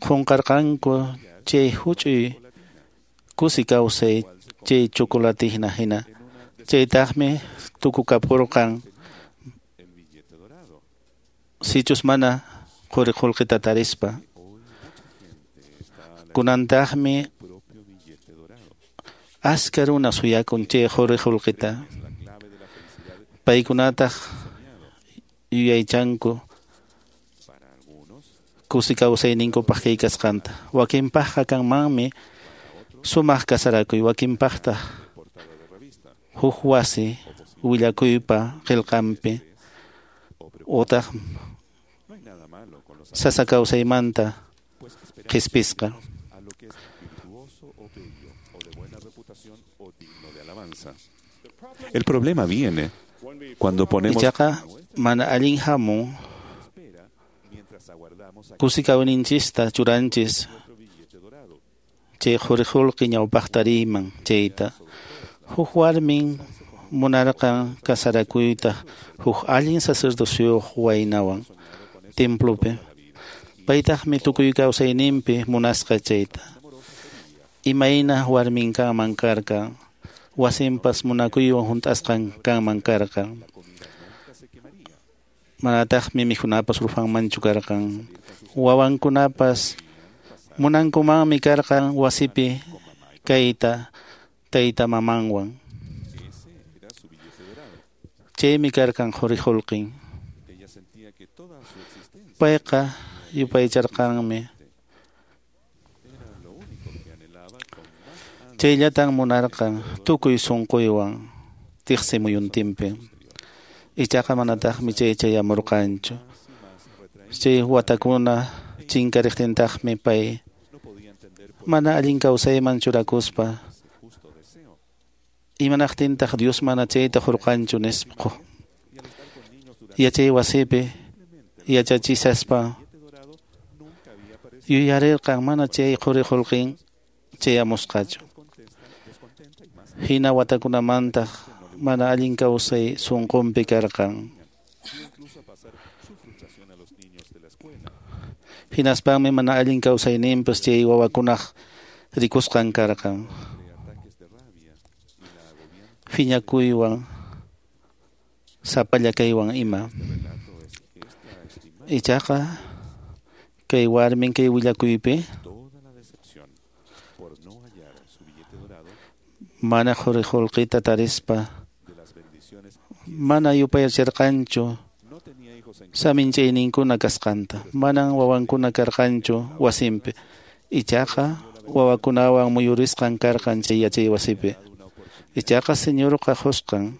qunqarqanku chay huch'uy kusi kawsay chay chocolate hina hina. Chaytaqmi tukukapurqan sichus mana quri qullqita tarispa. Kunantaqmi aska runa suyakun chay quri qullqita. Paykunataq yuyaychanku kusi kawsayninkupaq kay kasqanta. Wakinpaqqa kanmanmi sumaq kasarakuy, wakinpaqtaq huk wasi willakuypa qillqanpi utaq sasa kawsaymanta qhispisqa. El problema viene cuando ponemos Ichaqa mana allin hamun kusi kawninchista churanchis chay quri qullqi ñawpaqta riyman chayta. Huk warmin munarqan kasarakuyta huk allin sacerdociyuq waynawan templopi. Paytaqmi tukuy kawsayninpi munasqa chayta. Imayna warmin kanman karqan, wasinpas munakuywan hunt'asqan kanman karqan. Manataqmi mikhunapas rufanmanchu karqan. Wawankunapas munankumanmi karqan wasipi kayta tayta mamanwan. Chaymi karqan quri qullqin. Payqa yupaycharqanmi. Chayllatan munarqan tukuy sunquywan tiqsimuyuntinpi. Ichaqa manataqmi chay chayamurqanchu. Chay watakuna chinkariqtintaqmi pay mana allin kawsayman churakuspa imanaqtintaq Dios mana chayta hurqanchu nispa. Yachay wasipi yachachisaspa yuyarirqan mana chay quri qullqin chayamusqachu. Hina watakunamantaq mana allin kawsay sunqunpi karqan. Hinaspanmi mana allin kawsayninpas chay wawakunaq rikusqan karqan. Phiñakuywan sapalla kaywan ima. Ichaqa kay warmin kay willakuypi mana quri qullqita tarispa mana yupayachirqanchu saminchayninkuna kasqanta, manan wawankuna karqanchu wasinpi, ichaqa wawakunawan muyurisqan karqan chay yachay wasipi. Ichaqa Señorqa qusqan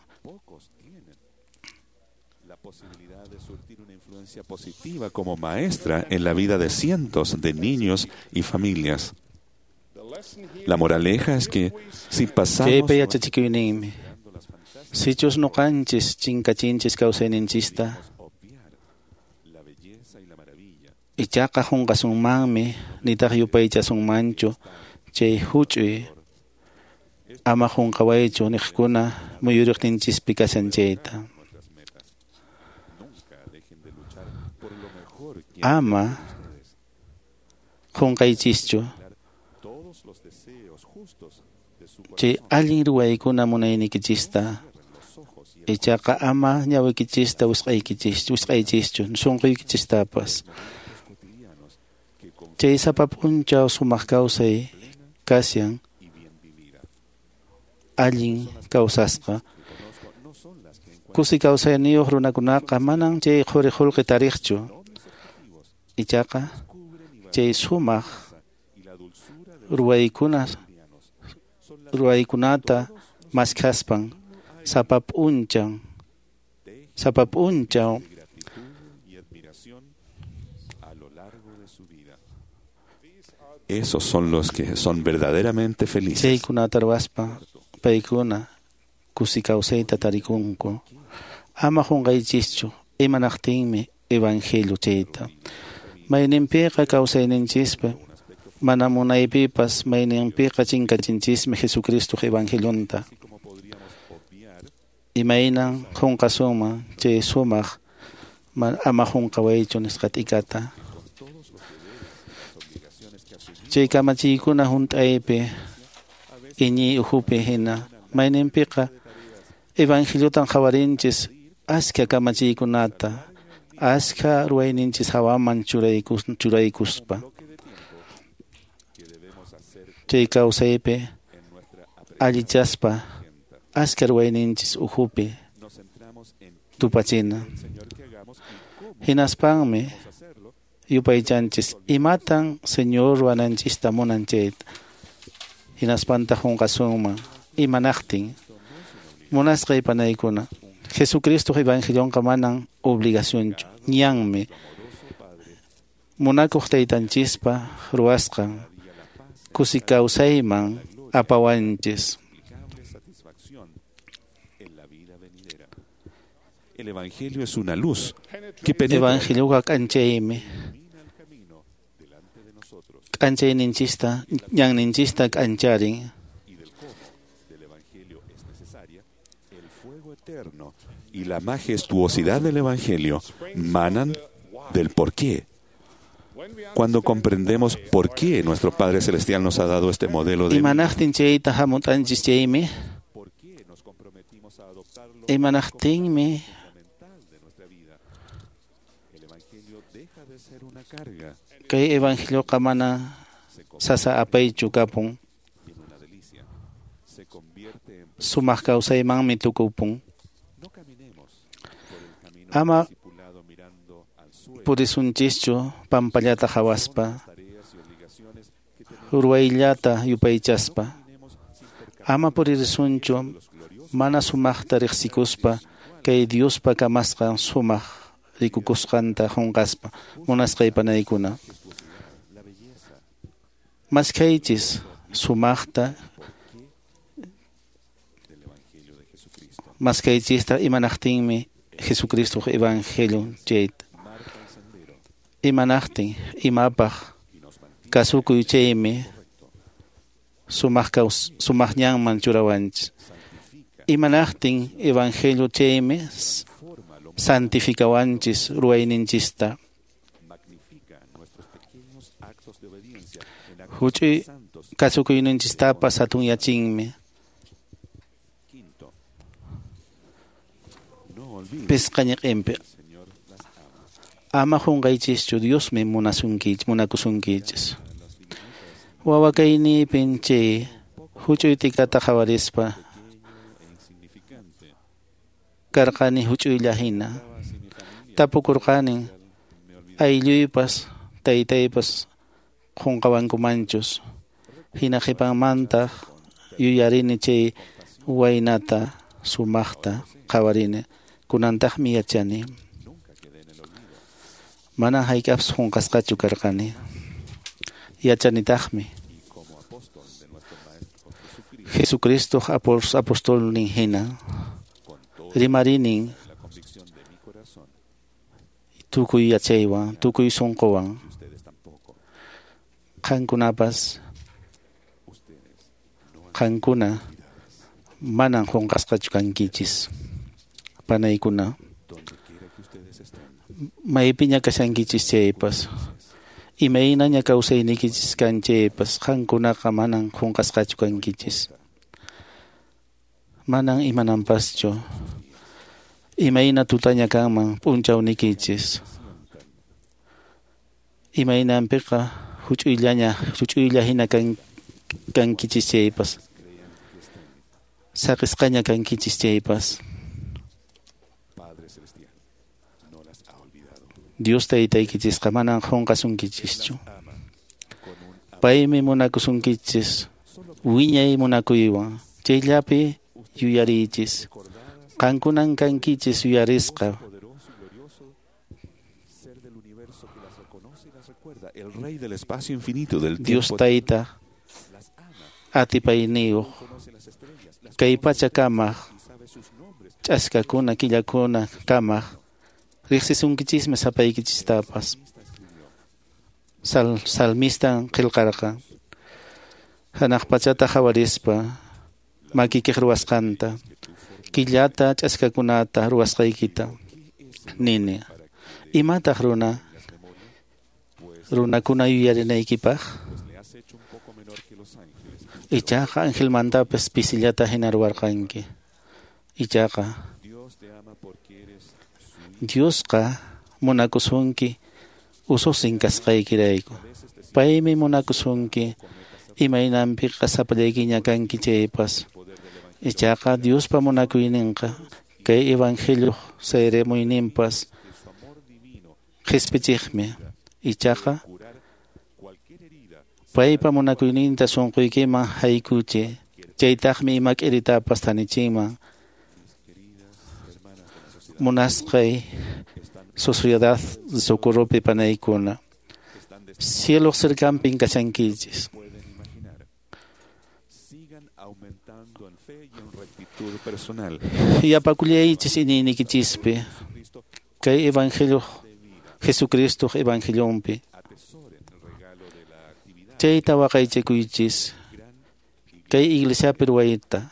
positiva como maestra en la vida de cientos de niños y familias. La moraleja es que si pasamos chaypi yachachikuyninmi sichus ñuqanchis chinkachinchis kawsayninchista ichaqa qunqasunmanmi nitaq yupaychasunmanchu chay huch'uy ama qunqawaychu niqkuna muyuriqninchispi kashan chayta. Ama qunqaychischu chay allin ruwaykuna munaynikichista, ichaqa ama ñawikichista wisq'aykichis wisq'aychischu sunquykichistapas. Chay sapa p'unchaw sumaq kawsay kashan allin kawsasqa. Kusi kawsayniyuq runakunaqa manan chay quri qullqi tariqchu, ichaqa chay sumaq ruwaykuna ruwaykunata maskhaspan sapa p'unchaw sapa p'unchaw Esos son los que son verdaderamente felices. Chaykunata ruwaspa paykuna kusi kawsayta tarikunku. Ama qunqaychischu imanaqtinmi evangelio chayta. Mayninpiqa kawsayninchispi mana munaypipas mayninpiqa chinkachinchismi Jesucristoq evangelionta. Imaynan qunqasunman chay sumaq ama qunqawaychu nisqa t'ikata. Chay kamachiykuna hunt'aypi iñiy ukhupi hina mayninpiqa evangeliotan qhawarinchis askha kamachiykunata askha ruwayninchis hawaman churaykus churaykuspa. Chay kawsaypi allichaspa askha ruwayninchis ukhupi tupachina. Hinaspanmi yupaychanchis imatan Señor ruwananchista munan chayta. Hinaspanta qunqasunman imanaqtin munasqay panaykuna. Jesucristo evangelionqa manan obligacionchu, ñanmi munakuq taytanchispa ruwasqan kusi kawsayman apawanchis. El evangelio es una luz que penetra Evangelioqa k'anchaymi k'anchayninchista ñanninchista k'ancharin. Eterno y la majestuosidad del evangelio manan del porqué. Cuando comprendemos por qué nuestro Padre Celestial nos ha dado este modelo de Imanaqtin chayta hamut'anchis chaymi imanaqtinmi kay evangelioqa mana sasa apaychu kapun, sumaq kawsaymanmi tukupun. Ama purisunchischu pampallata qhawaspa ruwayllata yupaychaspa. Ama puririsunchu mana sumaqta riqsikuspa kay Diospa kamasqan sumaq rikukusqanta qunqaspa. Munasqay panaykuna, maskhaychis sumaqta maskhaychista imanaqtinmi Jesucristoq evangelio chayta. Imanaqtin imapaq kasukuy chaymi sumaq kaws sumaq ñanman churawanchis. Imanaqtin evangelio chaymi santifikawanchis ruwayninchista. Huch'uy kasukuyninchistapas hatunyachinmi. Pisqa ñiqinpi ama qunqaychischu Diosmi munasunkichis munakusunkichis. Wawa kayniypin chay huch'uy t'ikata qhawarispa karqani huch'uylla hina. Tapukurqanin aylluypas taytaypas qunqawankumanchus. Hina qhipanmantaq yuyarini chay waynata sumaqta qhawarini. Kunantaqmi yachani. Mana hayk'appas qunqasqachu karqani. Yachanitaqmi. Jesucristo apostolnin hina rimarinin tukuy yachaywan, tukuy sunquwan. Qankunapas qankuna manan qunqasqachu kankichis. Panaykuna maypiña kashankichis chaypas imaynaña kawsaynikichis kan chaypas qankunaqa manan qunqasqachu kankichis. Manan imananpaschu imayna tutaña kanman p'unchawnikichis. Imaynanpiqa huch'uyllaña huch'uylla hina kan kankichis chaypas saqisqaña kankichis chaypas. Dios taytaykichisqa manan qunqasunkichischu. Paymi munakusunkichis wiñay munakuywan. Chayllapi yuyariychis. Qankunan kankichis yuyarisqa. Dios tayta atipayniyuq kay pacha kamaq ch'askakuna killakuna kamaq riqsisunkichismi sapaykichistapas. Sal, salmistan qillqarqa hanaq pachata qhawarispa makikiq ruwasqanta killata ch'askakunata ruwasqaykita nini. Imataq runa runakuna yuyarinaykipaq? Ichaqa angelmantapas pisillata hina ruwarqanki. Ichaqa Diosqa munakusunki ususin kasqaykirayku. Paymi munakusunki imaynanpiqa sapallaykiña kanki chaypas. Ichaqa Diospa munakuyninqa kay evangelio sayrimuyninpas qhispichiqmi. Ichaqa paypa munakuyninta sunquykiman haykuchi. Chaytaqmi ima k'iritapas tanichinman. Munasqay Sociedad Socorropi panaykuna cielo cercanpin kashankichis. Yapakullaychis iñiynikichispi kay evangelio Jesucristo evangelionpi. Chayta waqaychakuychis kay iglesiapi ruwayta.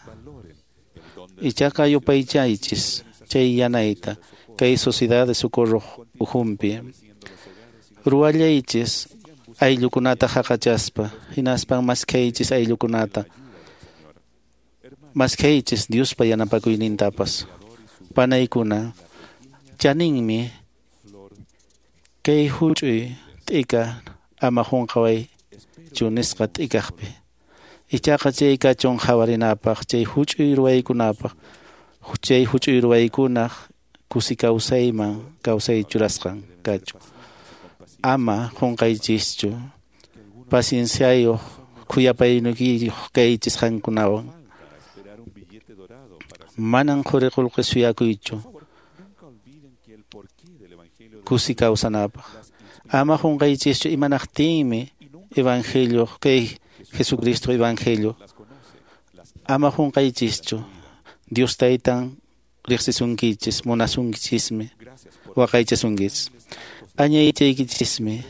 Ichaqa yupaychaychis chay yanayta kay Sociedad de Socorro ukhunpi. Ruwallaychis ayllukunata haqachaspa hinaspan maskhaychis ayllukunata. Maskhaychis Diospa yanapakuynintapas. Panaykuna chaninmi kay huch'uy t'ika ama qunqawaychu nisqa t'ikaqpi. Ichaqa chay kachun qhawarinapaq chay huch'uy ruwaykunapaq chay huch'uy ruwaykunaq kusi kawsayman kawsay churasqan kachun. Ama qunqaychischu pacienciayuq khuyapayniyuq kaychis qankunawan. Manan quri qullqi suyakuychu kusi kawsanapaq. Ama qunqaychischu imanaqtinmi evangelio kay Jesucristo evangelio. Ama qunqaychischu Dios taytan riqsisunkichis munasunkichismi waqaychasunkichis. Añaychaykichismi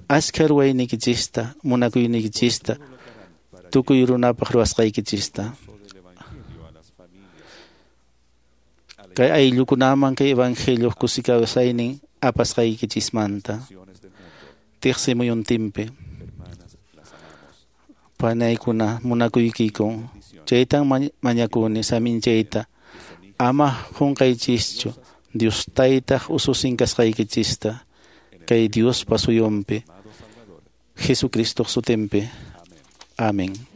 askha ruwaynikichista munakuynikichista tukuy runapaq ruwasqaykichista. Kay ayllukunaman kay evangelio kusi kawsaynin apasqaykichismanta tiqsimuyuntinpi. Panaykuna munakuykiku. Chaytan mañakuni saminchayta. Ama qunqaychischu Dios taytaq ususin kasqaykichista. Kay Diospa suyunpi. Jesucristo sutinpi. Amén.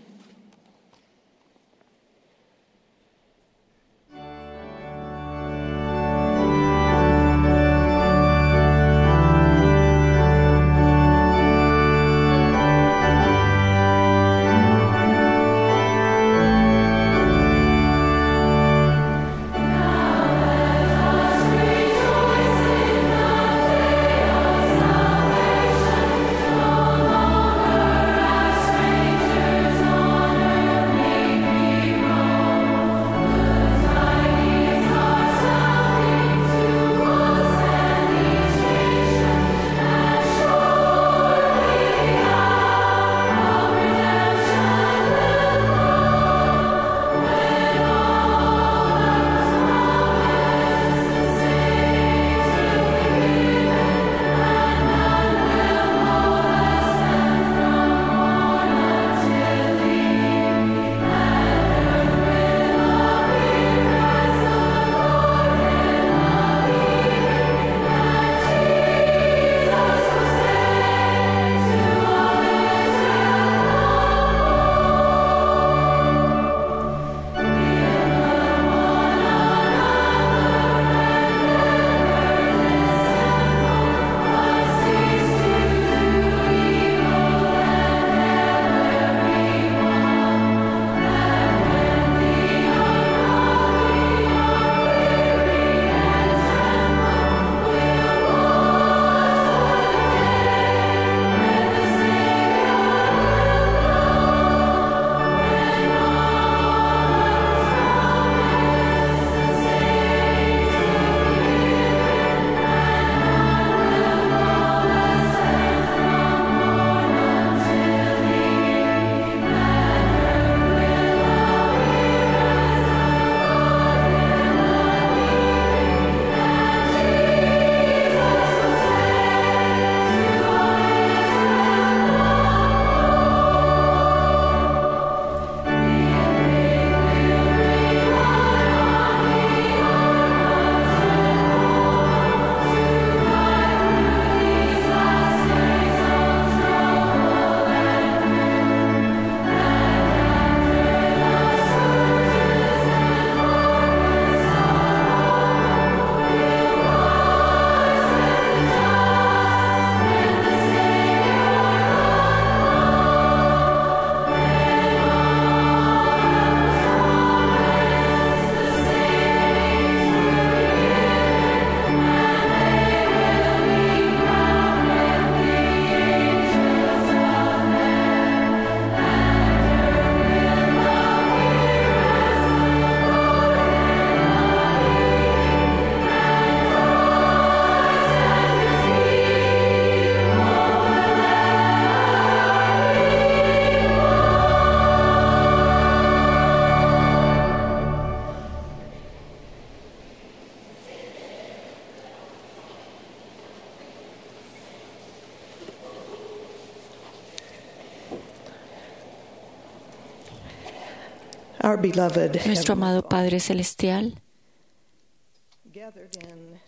Nuestro amado Padre Celestial,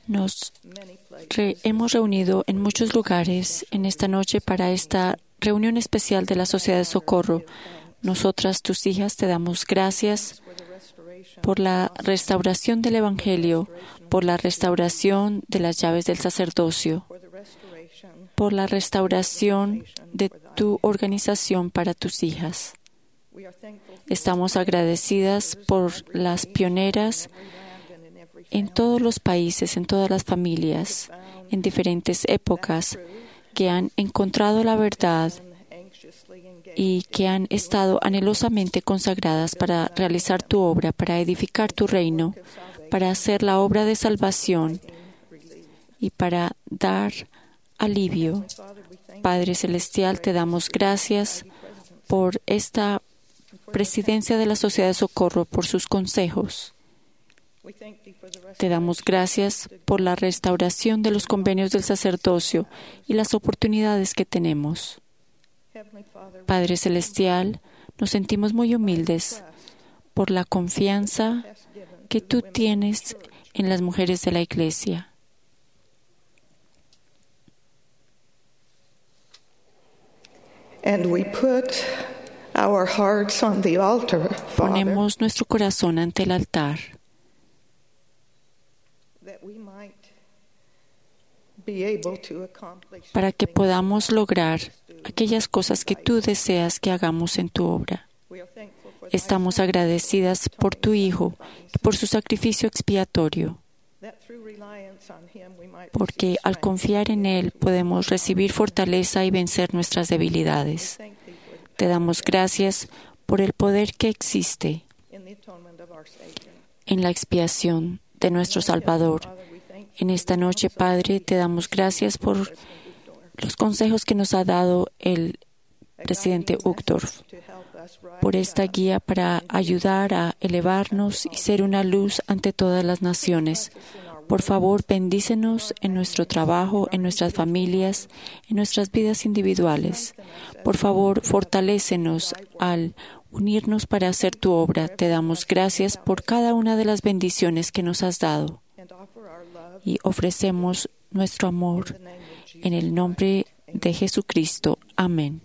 nos re hemos reunido en muchos lugares en esta noche para esta reunión especial de la Sociedad de Socorro. Nosotras, tus hijas, te damos gracias por la restauración del Evangelio, por la restauración de las llaves del sacerdocio, por la restauración de tu organización para tus hijas. Estamos agradecidas por las pioneras en todos los países, en todas las familias, en diferentes épocas, que han encontrado la verdad y que han estado anhelosamente consagradas para realizar tu obra, para edificar tu reino, para hacer la obra de salvación y para dar alivio. Padre Celestial, te damos gracias por esta presidencia de la Sociedad de Socorro, por sus consejos. Te damos gracias por la restauración de los convenios del sacerdocio y las oportunidades que tenemos. Padre Celestial, nos sentimos muy humildes por la confianza que tú tienes en las mujeres de la Iglesia. And we put our hearts on the altar, Father, Ponemos nuestro corazón ante el altar that we might be able to accomplish para que podamos lograr aquellas cosas que tú deseas que hagamos en tu obra. We are thankful for thy Estamos agradecidas por tu Hijo y por su sacrificio expiatorio, that through reliance on him we might porque receive al strength. confiar en Él podemos recibir fortaleza y vencer nuestras debilidades. Thank thee for the Te damos gracias por el poder que existe in the atonement of our Savior. en la expiación de nuestro Salvador. Father, we thank En esta noche, Padre, te damos gracias por los consejos que nos ha dado el presidente Uchtdorf, to help us rise por esta guía para ayudar a elevarnos y ser una luz ante todas las naciones. Por favor, bendícenos en nuestro trabajo, en nuestras familias, en nuestras vidas individuales. Por favor, fortalécenos al unirnos para hacer tu obra. Te damos gracias por cada una de las bendiciones que nos has dado and offer our love y ofrecemos nuestro amor en el nombre de Jesucristo. Amén.